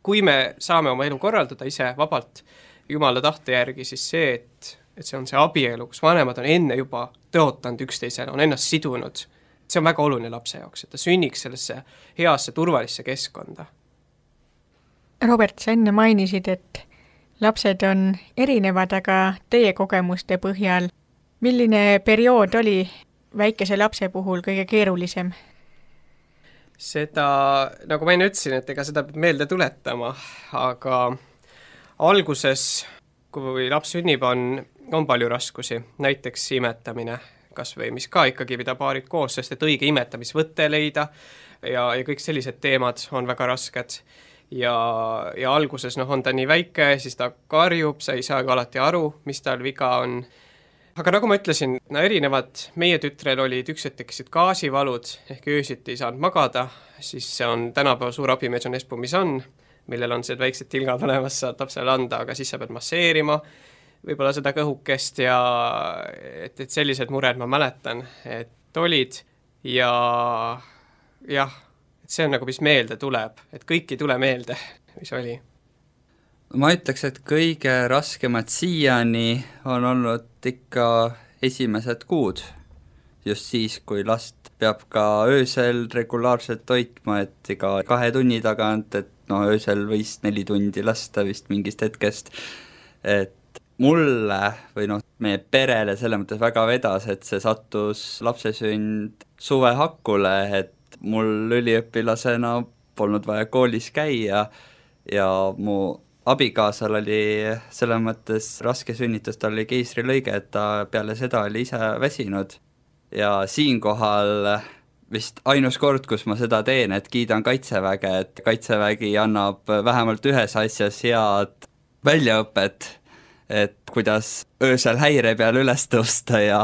[SPEAKER 3] kui me saame oma elu korraldada ise vabalt Jumala tahte järgi, siis see, et, et see on see abielu, kus vanemad on enne juba tõotanud üksteisele, on ennast sidunud, see on väga oluline lapse jaoks, et ta sünniks sellesse heasse turvalisse keskkonda.
[SPEAKER 2] Robert, sa enne mainisid, et lapsed on erinevad, aga teie kogemuste põhjal milline periood oli väikese lapse puhul kõige keerulisem?
[SPEAKER 3] Seda, nagu ma enne ütlesin, et ega seda peab meelde tuletama, aga alguses, kui laps sünnib, on, on palju raskusi, näiteks imetamine, kas või mis ka ikkagi pida paarid koos, sest et õige imetamisvõtte leida ja, ja kõik sellised teemad on väga rasked. Ja, ja alguses noh, on ta nii väike, siis ta karjub, sa ei saa alati aru, mis tal viga on. Aga nagu ma ütlesin, no erinevad, meie tütrel olid üks hetk tekkisid gaasivalud, ehk öösiti ei saanud magada, siis see on tänapäeva suur abimees on Espumisan, millel on see väiksed tilgad olemas, saad lapsele anda, aga siis sa pead masseerima võib-olla seda kõhukest ja et, et sellised mured ma mäletan, et olid ja jah, et see on nagu, mis meelde tuleb, et kõik ei tule meelde, mis oli.
[SPEAKER 4] Ma ütleks, et kõige raskemad siiani on olnud ikka esimesed kuud, just siis, kui last peab ka öösel regulaarselt toitma, et iga kahe tunni tagant, et no öösel võis neli tundi lasta vist mingist hetkest, et mulle või noh, meie perele selle mõttes väga vedas, et see sattus lapsesünd suvehakule, et mul üliõpilasena polnud vaja koolis käia ja mu abikaasal oli selles mõttes raske sünnitus, tal oli keisrilõige, et ta peale seda oli ise väsinud ja siinkohal vist ainus kord, kus ma seda teen, et kiidan Kaitseväge, et Kaitsevägi annab vähemalt ühes asjas head väljaõpet, et kuidas öösel häire peal üles tõusta ja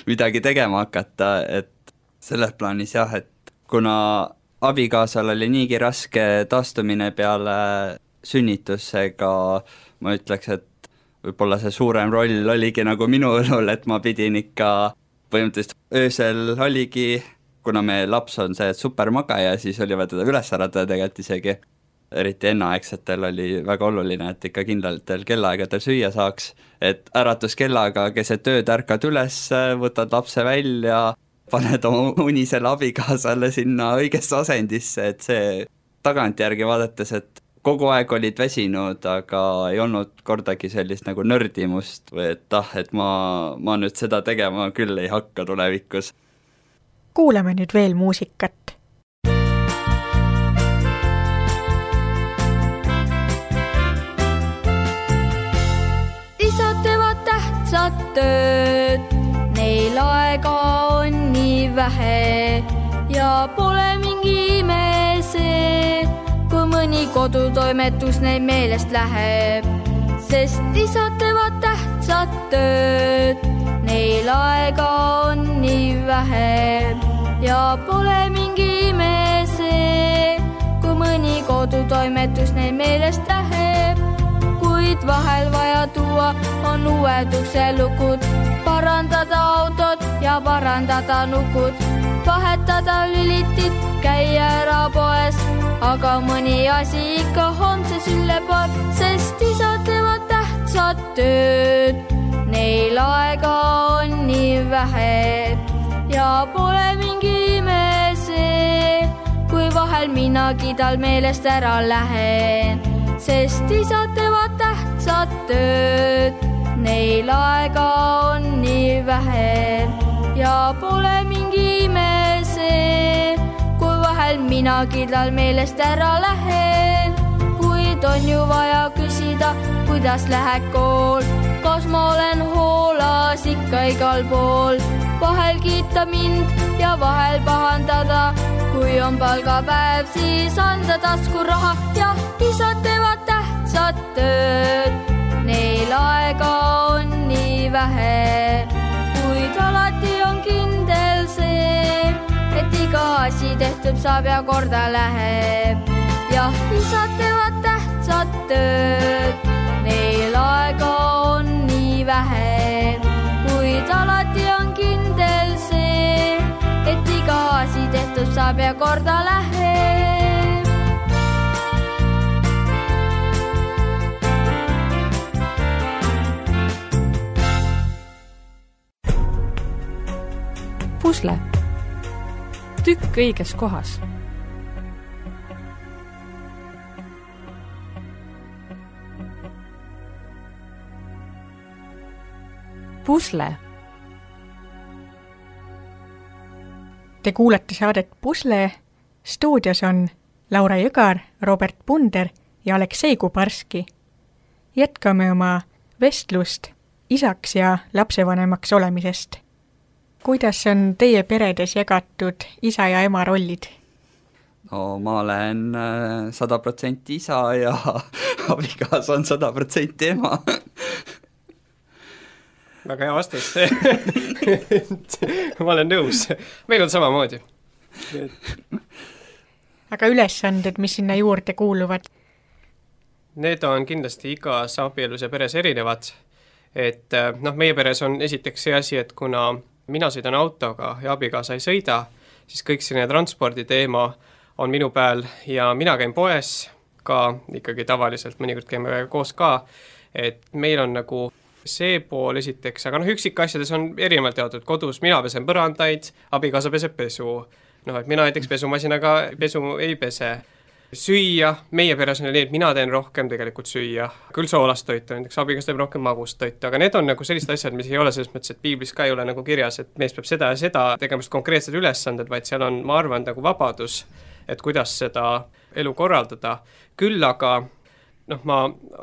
[SPEAKER 4] midagi tegema hakata, et selles plaanis jah, et kuna abikaasal oli niigi raske taastumine peale sünnitusega, ma ütleks, et võib-olla see suurem roll oligi nagu minu õlul, et ma pidin ikka põhimõtteliselt öösel oligi, kuna me laps on see supermagaja, siis oli vaja teda üles äratada tegelikult isegi. Eriti enneaegsetel oli väga oluline, et ikka kindlatel kellaaegadel süüa saaks, et äratuskellaga keset ööd ärkad üles, võtad lapse välja, paned oma unisele abikaasale sinna õigesse asendisse, et see tagantjärgi vaadates, et kogu aeg olid väsinud, aga ei olnud kordagi sellist nagu nördimust või et ah, et ma, ma nüüd seda tegema küll ei hakka tulevikus.
[SPEAKER 2] Kuulame nüüd veel muusikat.
[SPEAKER 5] Isad teevad tähtsad tööd, neil aega on nii vähe ja pole mingi ime see, kui mõni kodutoimetus neil meelest läheb, sest isad teevad tähtsad tööd, neil aega on nii vähe ja pole mingi ime see, kui mõni kodutoimetus neil meelest läheb, kuid vahel vaja tuua on uued ukselukud, parandada autod ja parandada nukud, vahetada lülitid, käia ära poes, aga mõni asi ikka homses üle poeb, sest isad teevad tähtsad tööd, neil aega on nii vähe ja pole mingi ime see, kui vahel minagi tal meelest ära lähen, sest isad teevad tähtsad tööd, neil aega on nii vähe ja pole mingi ime see, kui vahel minagi tal meelest ära lähen, kuid on ju vaja küsida, kuidas läheb kool, kas ma olen hoolas ikka igal pool, vahel kiita mind ja vahel pahandada, kui on palgapäev, siis anda taskuraha, jah, isad teevad tähtsad tööd, neil aega on nii vähe, kuid alati on kindel see, et iga asi tehtud saab ja korda läheb, jah, isad teevad tähtsad tööd, neil aega on nii vähe, kuid alati on kindel see, et iga asi tehtud saab ja korda läheb.
[SPEAKER 1] Pusle. Tükk õiges kohas. Pusle.
[SPEAKER 2] Te kuulete saadet Pusle, stuudios on Laura Jõgar, Robert Punder ja Aleksei Kubarski. Jätkame oma vestlust isaks ja lapsevanemaks olemisest. Kuidas on teie peredes jagatud isa ja ema rollid?
[SPEAKER 4] No ma olen sada protsenti isa ja abikaasa on sada protsenti ema.
[SPEAKER 3] Väga hea vastus. Ma olen nõus. Meil on samamoodi.
[SPEAKER 2] Aga ülesanded, mis sinna juurde kuuluvad?
[SPEAKER 3] Need on kindlasti igas abielus ja peres erinevad. Et noh, meie peres on esiteks see asi, et kuna mina sõidan autoga ja abikaasa ei sõida, siis kõik selline transpordi teema on minu peal ja mina käin poes ka ikkagi tavaliselt, mõnikord käime koos ka, et meil on nagu see pool esiteks, aga noh, üksik asjades on erinevalt jaotud kodus, mina pesen põrandaid, abikaasa peseb pesu, noh, et mina näiteks pesumasinaga pesu ei pese. Süüa, meie peres on nii, et mina teen rohkem tegelikult süüa, küll soolast toitu, näiteks abikaasa teeb rohkem magust toitu, aga need on nagu sellised asjad, mis ei ole selles mõttes, et piiblis ka ei ole nagu kirjas, et mees peab seda ja seda tegemast konkreetsed ülesanded, vaid seal on, ma arvan, nagu vabadus, et kuidas seda elu korraldada. Küll aga, noh, ma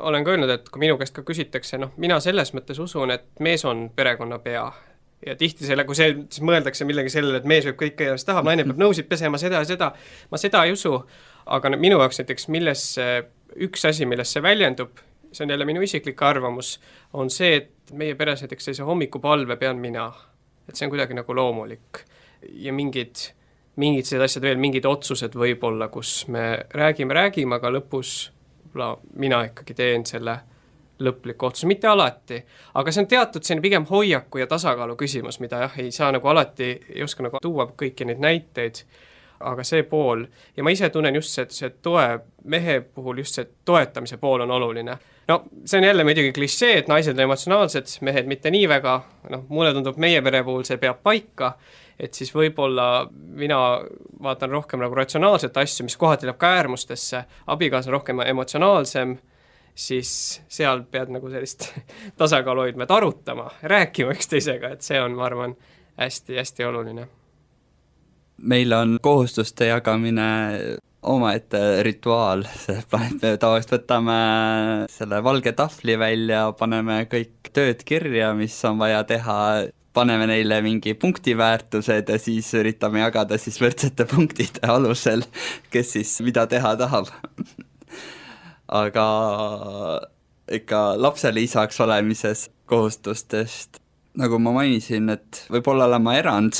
[SPEAKER 3] olen ka öelnud, et kui minu käest ka küsitakse, noh, mina selles mõttes usun, et mees on perekonna pea. Ja tihti selle, kui see, siis mõeldakse millegi sellele, et mees võib kõike ja tahab, naine peab nõusid pesema seda ja seda. Ma seda ei usu, aga minu jaoks näiteks milles üks asi, milles see väljendub, see on jälle minu isiklik arvamus, on see, et meie peres näiteks sellise hommikupalve pean mina. Et see on kuidagi nagu loomulik. Ja mingid, mingid sellised asjad veel, mingid otsused võib-olla, kus me räägime, räägime, aga lõpus mina ikkagi teen selle lõpliku otsuse, mitte alati, aga see on teatud selline pigem hoiaku ja tasakaalu küsimus, mida jah, ei saa nagu alati, ei oska nagu tuua kõiki neid näiteid, aga see pool, ja ma ise tunnen just see, see toe mehe puhul, just see toetamise pool on oluline. No see on jälle muidugi klišee, et naised on emotsionaalsed, mehed mitte nii väga, noh, mulle tundub meie pere puhul see peab paika, et siis võib-olla mina vaatan rohkem nagu ratsionaalset asju, mis kohati läheb ka äärmustesse, abikaasa on rohkem emotsionaalsem, siis seal pead nagu sellist tasakaalu hoidma, et arutama, rääkima üksteisega, et see on, ma arvan, hästi-hästi oluline.
[SPEAKER 4] Meil on kohustuste jagamine omaette rituaal, me tavaliselt võtame selle valge tahvli välja, paneme kõik tööd kirja, mis on vaja teha, paneme neile mingi punktiväärtused ja siis üritame jagada siis võrdsete punktide alusel, kes siis mida teha tahab. Aga ikka lapsele isaks olemises kohustustest, nagu ma mainisin, et võib-olla olen ma erand,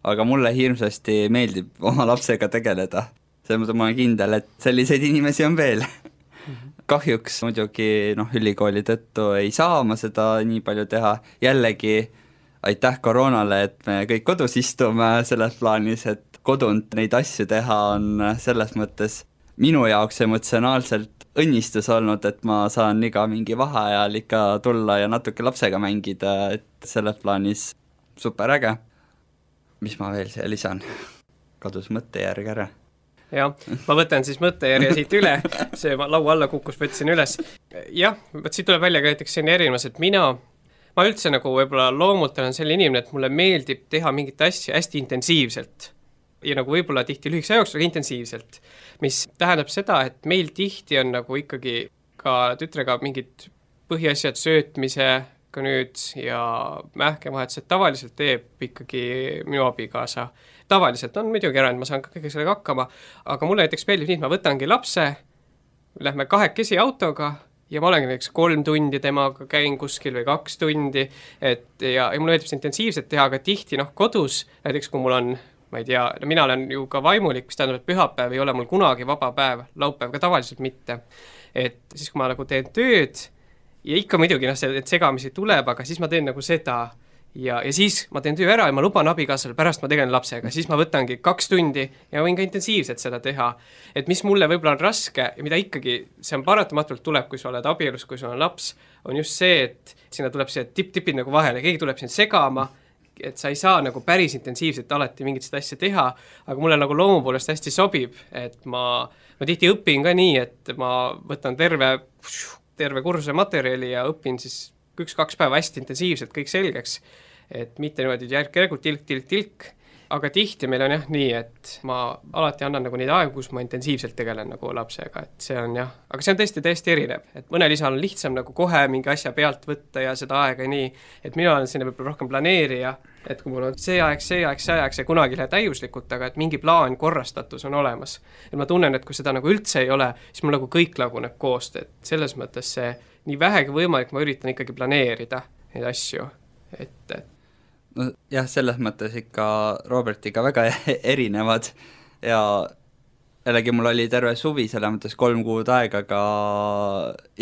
[SPEAKER 4] aga mulle hirmsasti meeldib oma lapsega tegeleda. See mõttes ma olen kindel, et selliseid inimesi on veel. Kahjuks muidugi noh, ülikooli tõttu ei saa ma seda nii palju teha. Jällegi aitäh koroonale, et me kõik kodus istume selles plaanis, et kodunt neid asju teha on selles mõttes minu jaoks emotsionaalselt õnnistus olnud, et ma saan iga mingi vaheajal ikka tulla ja natuke lapsega mängida, et selles plaanis super äge. Mis ma veel siia lisan? Kadus mõttejärg ära.
[SPEAKER 3] Jah, ma võtan siis mõttejärje siit üle, see laua alla kukkus, võtsin üles. Jah, võt siit tuleb välja ka näiteks selline erinevus, et mina, ma üldse nagu võib-olla loomult olen selline inimene, et mulle meeldib teha mingit asja hästi intensiivselt. Ja nagu võib-olla tihti lühikese ajaks, aga intensiivselt, mis tähendab seda, et meil tihti on nagu ikkagi ka tütrega mingid põhiasjad söötmise ka nüüd ja mähkevahetused tavaliselt teeb ikkagi minu abikaasa. Tavaliselt on muidugi erand, ma saan kõige sellega hakkama, aga mulle näiteks meeldib nii, et ma võtangi lapse, lähme kahekesi autoga ja ma olengi näiteks kolm tundi temaga, käin kuskil või kaks tundi, et ja, ja mulle meeldib see intensiivselt teha, aga tihti noh, kodus, näiteks kui mul on ma ei tea, no mina olen ju ka vaimulik, mis tähendab, et pühapäev ei ole mul kunagi vaba päev, laupäev ka tavaliselt mitte. Et siis, kui ma nagu teen tööd ja ikka muidugi noh, see segamisi tuleb, aga siis ma teen nagu seda ja, ja siis ma teen töö ära ja ma luban abikaasale, pärast ma tegelen lapsega, siis ma võtangi kaks tundi ja võin ka intensiivselt seda teha. Et mis mulle võib-olla on raske ja mida ikkagi, see on paratamatult tuleb, kui sa oled abielus, kui sul on laps, on just see, et sinna tuleb see tipp-tipid nagu vahele, keegi tuleb sind segama, et sa ei saa nagu päris intensiivselt alati mingit seda asja teha, aga mulle nagu loomu poolest hästi sobib, et ma, ma tihti õpin ka nii, et ma võtan terve, terve kursuse materjali ja õpin siis üks-kaks päeva hästi intensiivselt kõik selgeks, et mitte niimoodi järk-järgult tilk, tilk, tilk aga tihti meil on jah nii, et ma alati annan nagu neid aegu, kus ma intensiivselt tegelen nagu lapsega, et see on jah, aga see on tõesti täiesti erinev, et mõnel isal on lihtsam nagu kohe mingi asja pealt võtta ja seda aega nii, et mina olen sinna võib-olla rohkem planeerija, et kui mul on see aeg, see aeg, see aeg, see kunagi ei lähe täiuslikult, aga et mingi plaan, korrastatus on olemas. Et ma tunnen, et kui seda nagu üldse ei ole, siis mul nagu kõik laguneb koost, et selles mõttes see nii vähegi võimalik, ma üritan ikkagi planeerida neid asju, et
[SPEAKER 4] no jah, selles mõttes ikka Robertiga väga erinevad ja jällegi mul oli terve suvi selles mõttes kolm kuud aega ka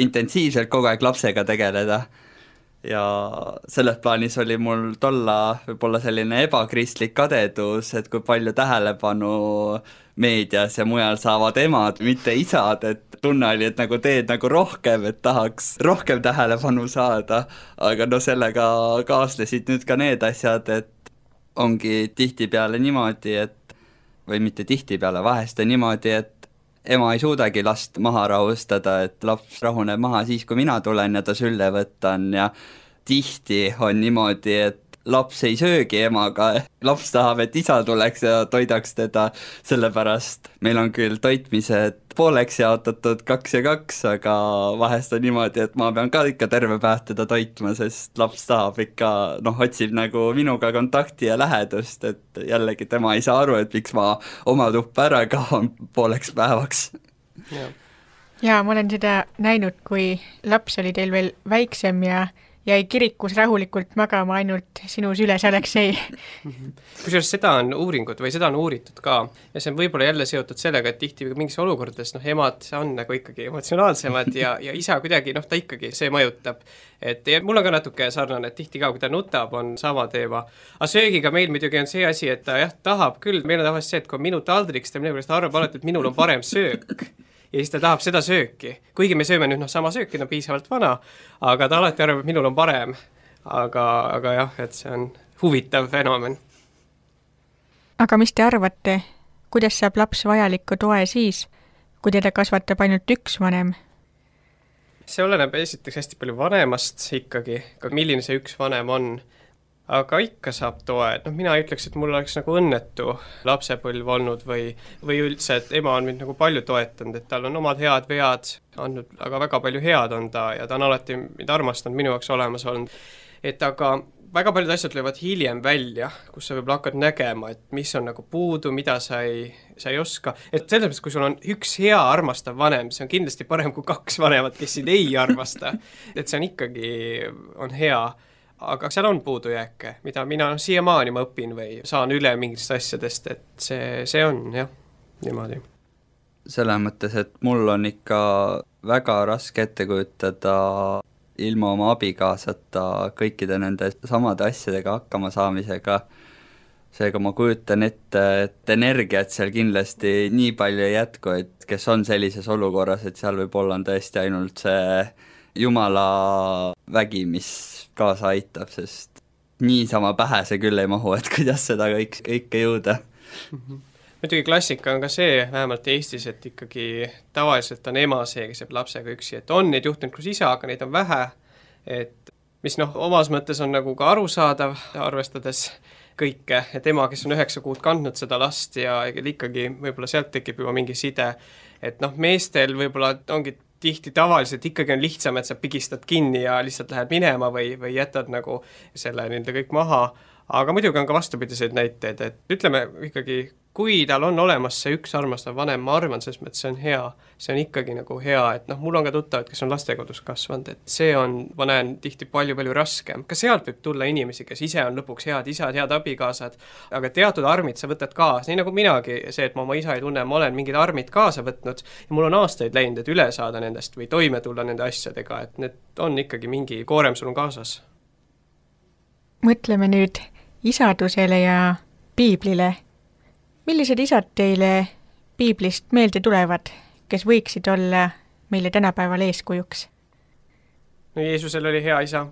[SPEAKER 4] intensiivselt kogu aeg lapsega tegeleda ja selles plaanis oli mul tolla võib-olla selline ebakristlik kadedus, et kui palju tähelepanu meedias ja mujal saavad emad, mitte isad, et tunne oli, et nagu teed nagu rohkem, et tahaks rohkem tähelepanu saada, aga no sellega kaaslesid nüüd ka need asjad, et ongi tihtipeale niimoodi, et või mitte tihtipeale, vahest on niimoodi, et ema ei suudagi last maha rahustada, et laps rahuneb maha siis, kui mina tulen ja ta sülle võtan ja tihti on niimoodi, et laps ei söögi emaga, laps tahab, et isa tuleks ja toidaks teda, sellepärast meil on küll toitmised pooleks jaotatud kaks ja kaks, aga vahest on niimoodi, et ma pean ka ikka terve päev teda toitma, sest laps tahab ikka, noh, otsib nagu minuga kontakti ja lähedust, et jällegi tema ei saa aru, et miks ma oma tuppa ära kaon pooleks päevaks.
[SPEAKER 3] Ja.
[SPEAKER 2] ja ma olen seda näinud, kui laps oli teil veel väiksem ja jäi kirikus rahulikult magama ainult sinu süles, Aleksei.
[SPEAKER 3] Kusjuures seda on uuringud või seda on uuritud ka ja see on võib-olla jälle seotud sellega, et tihti mingis olukordades noh, emad on nagu ikkagi emotsionaalsemad ja, ja isa kuidagi, noh ta ikkagi, see mõjutab. Et ja mul on ka natuke sarnane, et tihti ka, kui ta nutab, on sama teema. Aga söögiga meil muidugi on see asi, et ta jah, tahab küll, meil on tavaliselt see, et kui minu taldriks, ta minu pärast arvab alati, et minul on parem söök. Ja siis ta tahab seda sööki, kuigi me sööme nüüd noh, sama sööki, ta on piisavalt vana, aga ta alati arvab, et minul on parem. Aga, aga jah, et see on huvitav fenomen.
[SPEAKER 2] Aga mis te arvate, kuidas saab laps vajalikku toe siis, kui teda kasvatab ainult üks vanem?
[SPEAKER 3] See oleneb esiteks hästi palju vanemast ikkagi, milline see üks vanem on. Aga ikka saab toe, et noh, mina ütleks, et mul oleks nagu õnnetu lapsepõlv olnud või, või üldse, et ema on mind nagu palju toetanud, et tal on omad head vead andnud, aga väga palju head on ta ja ta on alati mind armastanud minu jaoks olemas olnud. Et aga väga paljud asjad löövad hiljem välja, kus sa võib-olla hakkad nägema, et mis on nagu puudu, mida sa ei, sa ei oska. Et selles mõttes, kui sul on üks hea armastav vanem, see on kindlasti parem kui kaks vanemat, kes sind ei armasta. Et see on ikkagi, on hea. Aga seal on puudujääke, mida mina siiamaani ma õpin või saan üle mingist asjadest, et see, see on jah, niimoodi.
[SPEAKER 4] Selles mõttes, et mul on ikka väga raske ette kujutada ilma oma abikaasata kõikide nende samade asjadega hakkama saamisega. Seega ma kujutan ette, et energiat seal kindlasti nii palju ei jätku, et kes on sellises olukorras, et seal võib-olla on tõesti ainult see Jumala vägi, mis kaasa aitab, sest niisama pähe see küll ei mahu, et kuidas seda kõik, kõike jõuda.
[SPEAKER 3] Mm-hmm. Muidugi klassika on ka see, vähemalt Eestis, et ikkagi tavaliselt on ema see, kes jääb lapsega üksi, et on neid juhtunud kus isa, aga neid on vähe, et mis noh, omas mõttes on nagu ka arusaadav, arvestades kõike, et ema, kes on üheksa kuud kandnud seda last ja ikkagi võib-olla sealt tekib juba mingi side, et noh, meestel võib-olla ongi tihti tavaliselt ikkagi on lihtsam, et sa pigistad kinni ja lihtsalt lähed minema või, või jätad nagu selle nende kõik maha, aga muidugi on ka vastupidiseid näiteid, et ütleme ikkagi, kui tal on olemas see üks armastav vanem, ma arvan, selles mõttes see on hea, see on ikkagi nagu hea, et noh, mul on ka tuttavad, kes on lastekodus kasvanud, et see on, ma näen tihti palju-palju raskem. Ka sealt võib tulla inimesi, kes ise on lõpuks head isad, head abikaasad, aga teatud armid sa võtad kaasa, nii nagu minagi, see, et ma oma isa ei tunne, ma olen mingid armid kaasa võtnud ja mul on aastaid läinud, et üle saada nendest või toime tulla nende asjadega, et need on ikkagi mingi koorem sul on kaasas.
[SPEAKER 2] Mõtleme nüüd isadusele ja piiblile. Millised isad teile piiblist meelde tulevad, kes võiksid olla meile tänapäeval eeskujuks?
[SPEAKER 3] No Jeesusel oli hea isa.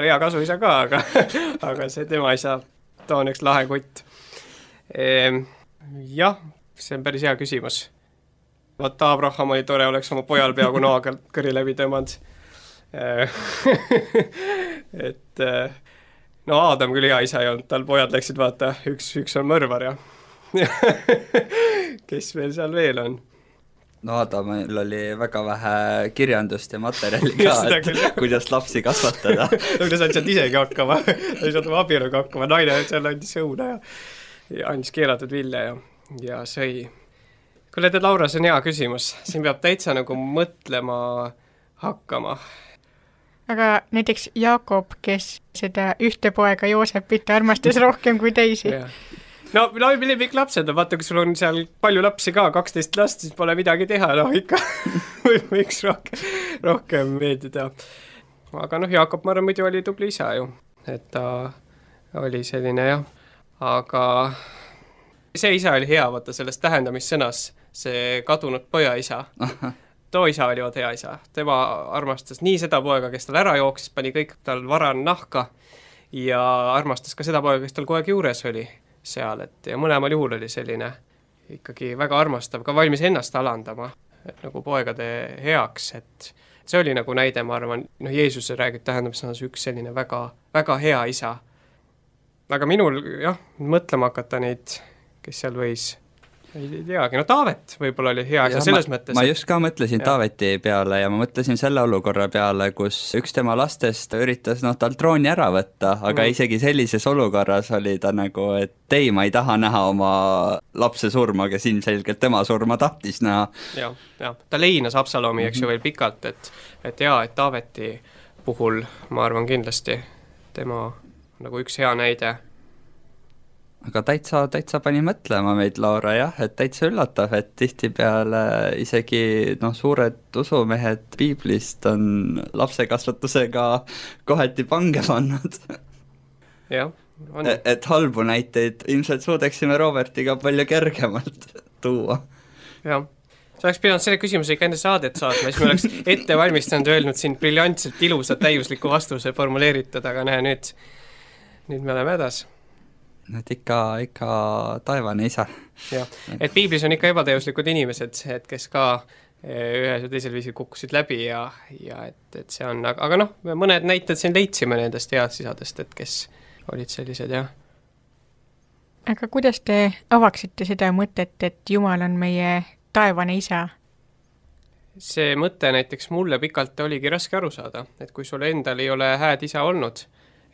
[SPEAKER 3] hea kasuisa ka, aga, aga see tema isa, ta on üks lahe kutt. Ehm, jah, see on päris hea küsimus. Vaata, Abraham oli tore, oleks oma pojal peaaegu noaga kõri läbi tõmmanud. et no Aadam küll hea isa ei olnud, tal pojad läksid vaata, üks, üks on mõrvar ja kes veel seal veel on?
[SPEAKER 4] no Aadamil oli väga vähe kirjandust ja materjali ka, et küll, kuidas lapsi kasvatada.
[SPEAKER 3] no ta saad sealt isegi hakkama, ta ei saanud oma abieluga hakkama, naine seal andis õuna ja, ja andis keelatud vilja ja, ja sõi. Kuule, tead, Laura, see on hea küsimus, siin peab täitsa nagu mõtlema hakkama.
[SPEAKER 2] Aga näiteks Jaakob, kes seda ühte poega Joosepit armastas rohkem kui teisi.
[SPEAKER 3] no kõik lapsed, vaata, kui sul on seal palju lapsi ka, kaksteist last, siis pole midagi teha, no ikka võiks rohkem, rohkem meeldida. Aga noh, Jaakob, ma arvan, muidu oli tubli isa ju, et ta oli selline jah, aga see isa oli hea, vaata sellest tähendamissõnas, see kadunud poja isa. too isa oli vaat hea isa, tema armastas nii seda poega, kes tal ära jooksis, pani kõik tal varan nahka ja armastas ka seda poega, kes tal kogu aeg juures oli seal, et ja mõlemal juhul oli selline ikkagi väga armastav, ka valmis ennast alandama, et nagu poegade heaks, et see oli nagu näide, ma arvan, noh, Jeesuse räägib tähendamissõnas üks selline väga, väga hea isa. Aga minul jah, mõtlema hakata neid, kes seal võis ei teagi, no Taavet võib-olla oli hea, aga selles
[SPEAKER 4] ma,
[SPEAKER 3] mõttes...
[SPEAKER 4] Ma just ka mõtlesin ja. Taaveti peale ja ma mõtlesin selle olukorra peale, kus üks tema lastest üritas noh, tal trooni ära võtta, aga mm. isegi sellises olukorras oli ta nagu, et ei, ma ei taha näha oma lapse surma, kes ilmselgelt tema surma tahtis näha.
[SPEAKER 3] Ja, ja. Ta leinas Absalomi, eks ju, veel pikalt, et, et jaa, et Taaveti puhul ma arvan kindlasti tema nagu üks hea näide.
[SPEAKER 4] Aga täitsa, täitsa pani mõtlema meid, Laura, jah, et täitsa üllatav, et tihtipeale isegi noh, suured usumehed piiblist on lapsekasvatusega kohati pange pannud.
[SPEAKER 3] jah, on.
[SPEAKER 4] Et, et halbu näiteid ilmselt suudaksime Robertiga palju kergemalt tuua.
[SPEAKER 3] jah, sa oleks pidanud selle küsimuse ikka enne saadet saatma, siis me oleks ette valmistanud öelnud siin briljantselt ilusat täiusliku vastuse formuleeritud, aga näe, nüüd, nüüd me oleme hädas.
[SPEAKER 4] et ikka, ikka taevane isa.
[SPEAKER 3] jah, et piiblis on ikka ebatäiuslikud inimesed, et kes ka ühes või teisel viisil kukkusid läbi ja, ja et, et see on, aga, aga noh, mõned näited siin leidsime nendest headsisadest, et kes olid sellised, jah.
[SPEAKER 2] Aga kuidas te avaksite seda mõtet, et Jumal on meie taevane isa?
[SPEAKER 3] See mõte näiteks mulle pikalt oligi raske aru saada, et kui sul endal ei ole hääd isa olnud,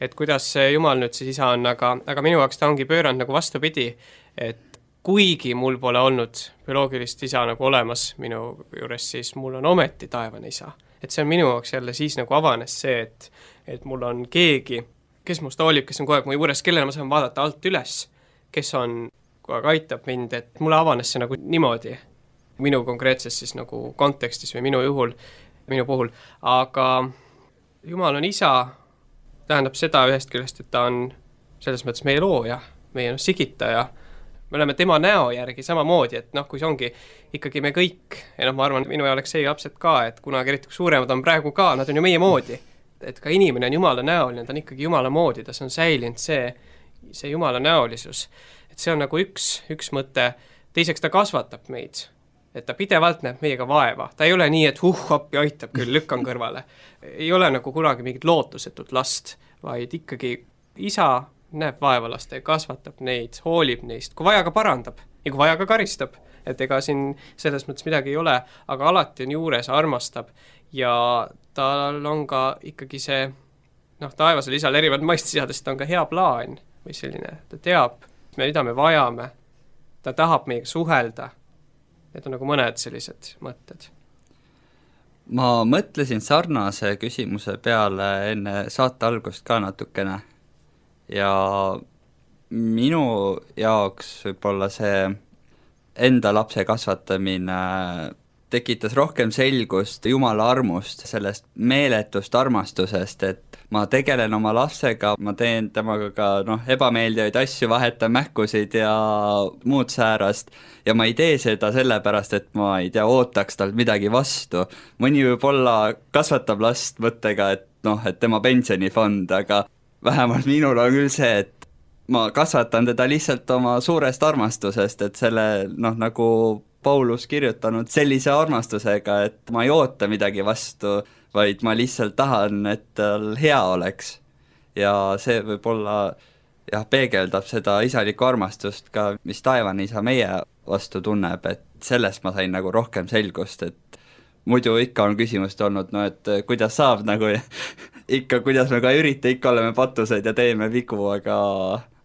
[SPEAKER 3] et kuidas Jumal nüüd siis isa on, aga, aga minu jaoks ta ongi pööranud nagu vastupidi, et kuigi mul pole olnud bioloogilist isa nagu olemas minu juures, siis mul on ometi taevane isa. Et see on minu jaoks jälle siis nagu avanes see, et, et mul on keegi, kes must hoolib, kes on kogu aeg mu juures, kellele ma saan vaadata alt üles, kes on kogu aeg aitab mind, et mulle avanes see nagu niimoodi minu konkreetses siis nagu kontekstis või minu juhul, minu puhul, aga Jumal on isa, tähendab seda ühest küljest, et ta on selles mõttes meie looja, meie no, sigitaja, me oleme tema näo järgi samamoodi, et noh, kui see ongi ikkagi me kõik, ja noh, ma arvan, minu Aleksei lapsed ka, et kunagi eriti suuremad on praegu ka, nad on ju meie moodi, et ka inimene on Jumala näoline, ta on ikkagi Jumala moodi, ta on säilinud see, see Jumala näolisus, et see on nagu üks, üks mõte, teiseks ta kasvatab meid, et ta pidevalt näeb meiega vaeva. Ta ei ole nii, et huh, appi aitab küll, lükkan kõrvale. Ei ole nagu kunagi mingit lootusetut last, vaid ikkagi isa näeb vaeva laste, kasvatab neid, hoolib neist, kui vaja ka parandab ja kui vaja ka karistab. Et ega siin selles mõttes midagi ei ole, aga alati on juures, armastab ja tal on ka ikkagi see, noh, taevasel isal erinevad maistisadest on ka hea plaan või selline, ta teab, mida me vajame, ta tahab meiega suhelda. Need on nagu mõned sellised mõtted.
[SPEAKER 4] Ma mõtlesin sarnase küsimuse peale enne saate algust ka natukene ja minu jaoks võib-olla see enda lapse kasvatamine tekitas rohkem selgust Jumala armust, sellest meeletust armastusest, et ma tegelen oma lapsega, ma teen temaga ka noh, ebameeldivaid asju, vahetan mähkusid ja muud säärast ja ma ei tee seda sellepärast, et ma ei tea, ootaks talt midagi vastu. Mõni võib-olla kasvatab last mõttega, et noh, et tema pensionifond, aga vähemalt minul on küll see, et ma kasvatan teda lihtsalt oma suurest armastusest, et selle noh, nagu Paulus kirjutanud sellise armastusega, et ma ei oota midagi vastu, vaid ma lihtsalt tahan, et tal hea oleks. ja see võib-olla jah, peegeldab seda isalikku armastust ka, mis taevane isa meie vastu tunneb, et sellest ma sain nagu rohkem selgust, et muidu ikka on küsimust olnud, no et kuidas saab nagu ikka, kuidas me ka ürita, ikka oleme patused ja teeme vigu, aga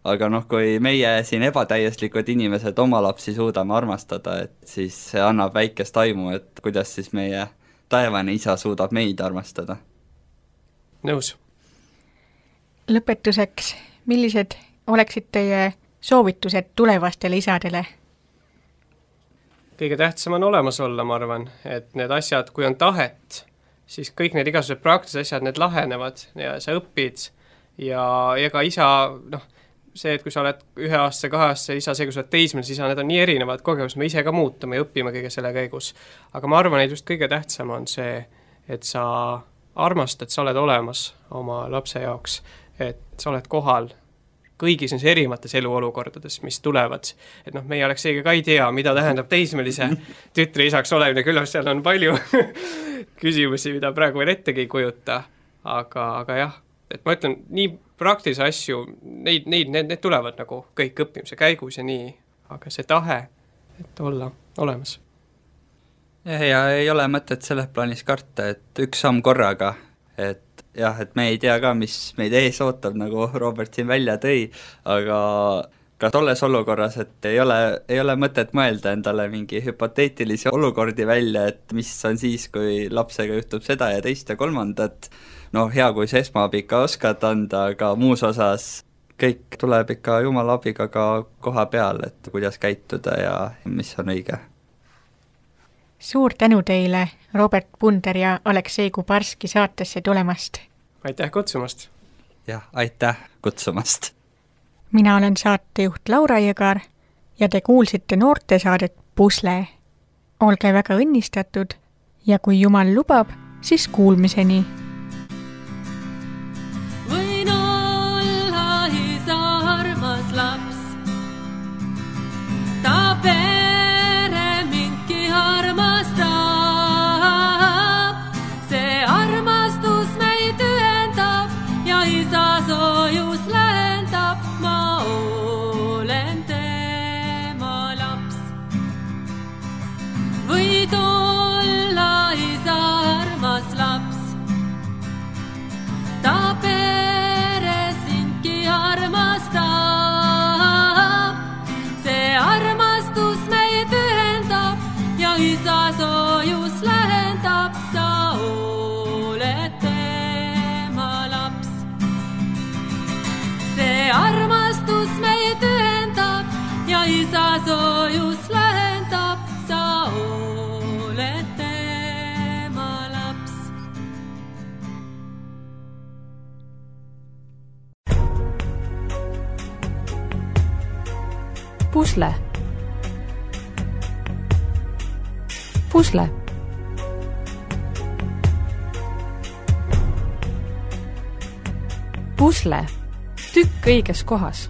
[SPEAKER 4] aga noh, kui meie siin ebatäieslikud inimesed oma lapsi suudame armastada, et siis see annab väikest aimu, et kuidas siis meie taevane isa suudab meid armastada.
[SPEAKER 3] Nõus.
[SPEAKER 2] Lõpetuseks, millised oleksid teie soovitused tulevastele isadele?
[SPEAKER 3] Kõige tähtsam on olemas olla, ma arvan, et need asjad, kui on tahet, siis kõik need igasugused praktilised asjad, need lahenevad ja sa õpid ja ega isa, noh, see, et kui sa oled ühe aasta, kahe aasta isa, see, kui sa oled teismeline isa, need on nii erinevad kogemused, me ise ka muutume ja õpime kõige selle käigus. Aga ma arvan, et just kõige tähtsam on see, et sa armastad, sa oled olemas oma lapse jaoks, et sa oled kohal kõigis neis erimates eluolukordades, mis tulevad. Et noh, meie oleks seega ka ei tea, mida tähendab teismelise tütre isaks olemine, küll seal on palju küsimusi, mida praegu veel ettegi ei kujuta, aga, aga jah, et ma ütlen, nii praktilisi asju, neid, neid, need, need tulevad nagu kõik õppimise käigus ja nii, aga see tahe, et olla olemas.
[SPEAKER 4] Ja, ja ei ole mõtet selles plaanis karta, et üks samm korraga, et jah, et me ei tea ka, mis meid ees ootab, nagu Robert siin välja tõi, aga ka tolles olukorras, et ei ole, ei ole mõtet mõelda endale mingi hüpoteetilisi olukordi välja, et mis on siis, kui lapsega juhtub seda ja teist ja kolmandat. No hea, kui see esmaabi ikka oskad anda, aga muus osas kõik tuleb ikka Jumala abiga ka koha peal, et kuidas käituda ja mis on õige.
[SPEAKER 2] Suur tänu teile, Robert Punder ja Aleksei Kubarski saatesse tulemast.
[SPEAKER 3] Aitäh kutsumast.
[SPEAKER 4] Jah, aitäh kutsumast.
[SPEAKER 2] Mina olen saatejuht Laura Jõgar ja te kuulsite noortesaadet Pusle. Olge väga õnnistatud ja kui Jumal lubab, siis kuulmiseni.
[SPEAKER 6] Võin olla isa armas laps, ta pere mindki armastab. See armastus meid ühendab ja isa soojus lähendab. Ma olen tema laps. Võid olla isa armas laps, ta pere sindki armastab. See armastus meid ühendab ja isa soojus lähendab. Sa oled tema laps. See armastus meid ühendab ja isa soojus lähendab. Sa oled tema laps.
[SPEAKER 1] Pusle. Pusle. Pusle. Tükk õiges kohas.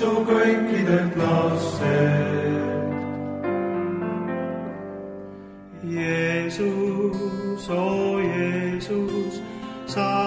[SPEAKER 7] Su kõikidelt laste Jeesus, o Jeesus, sa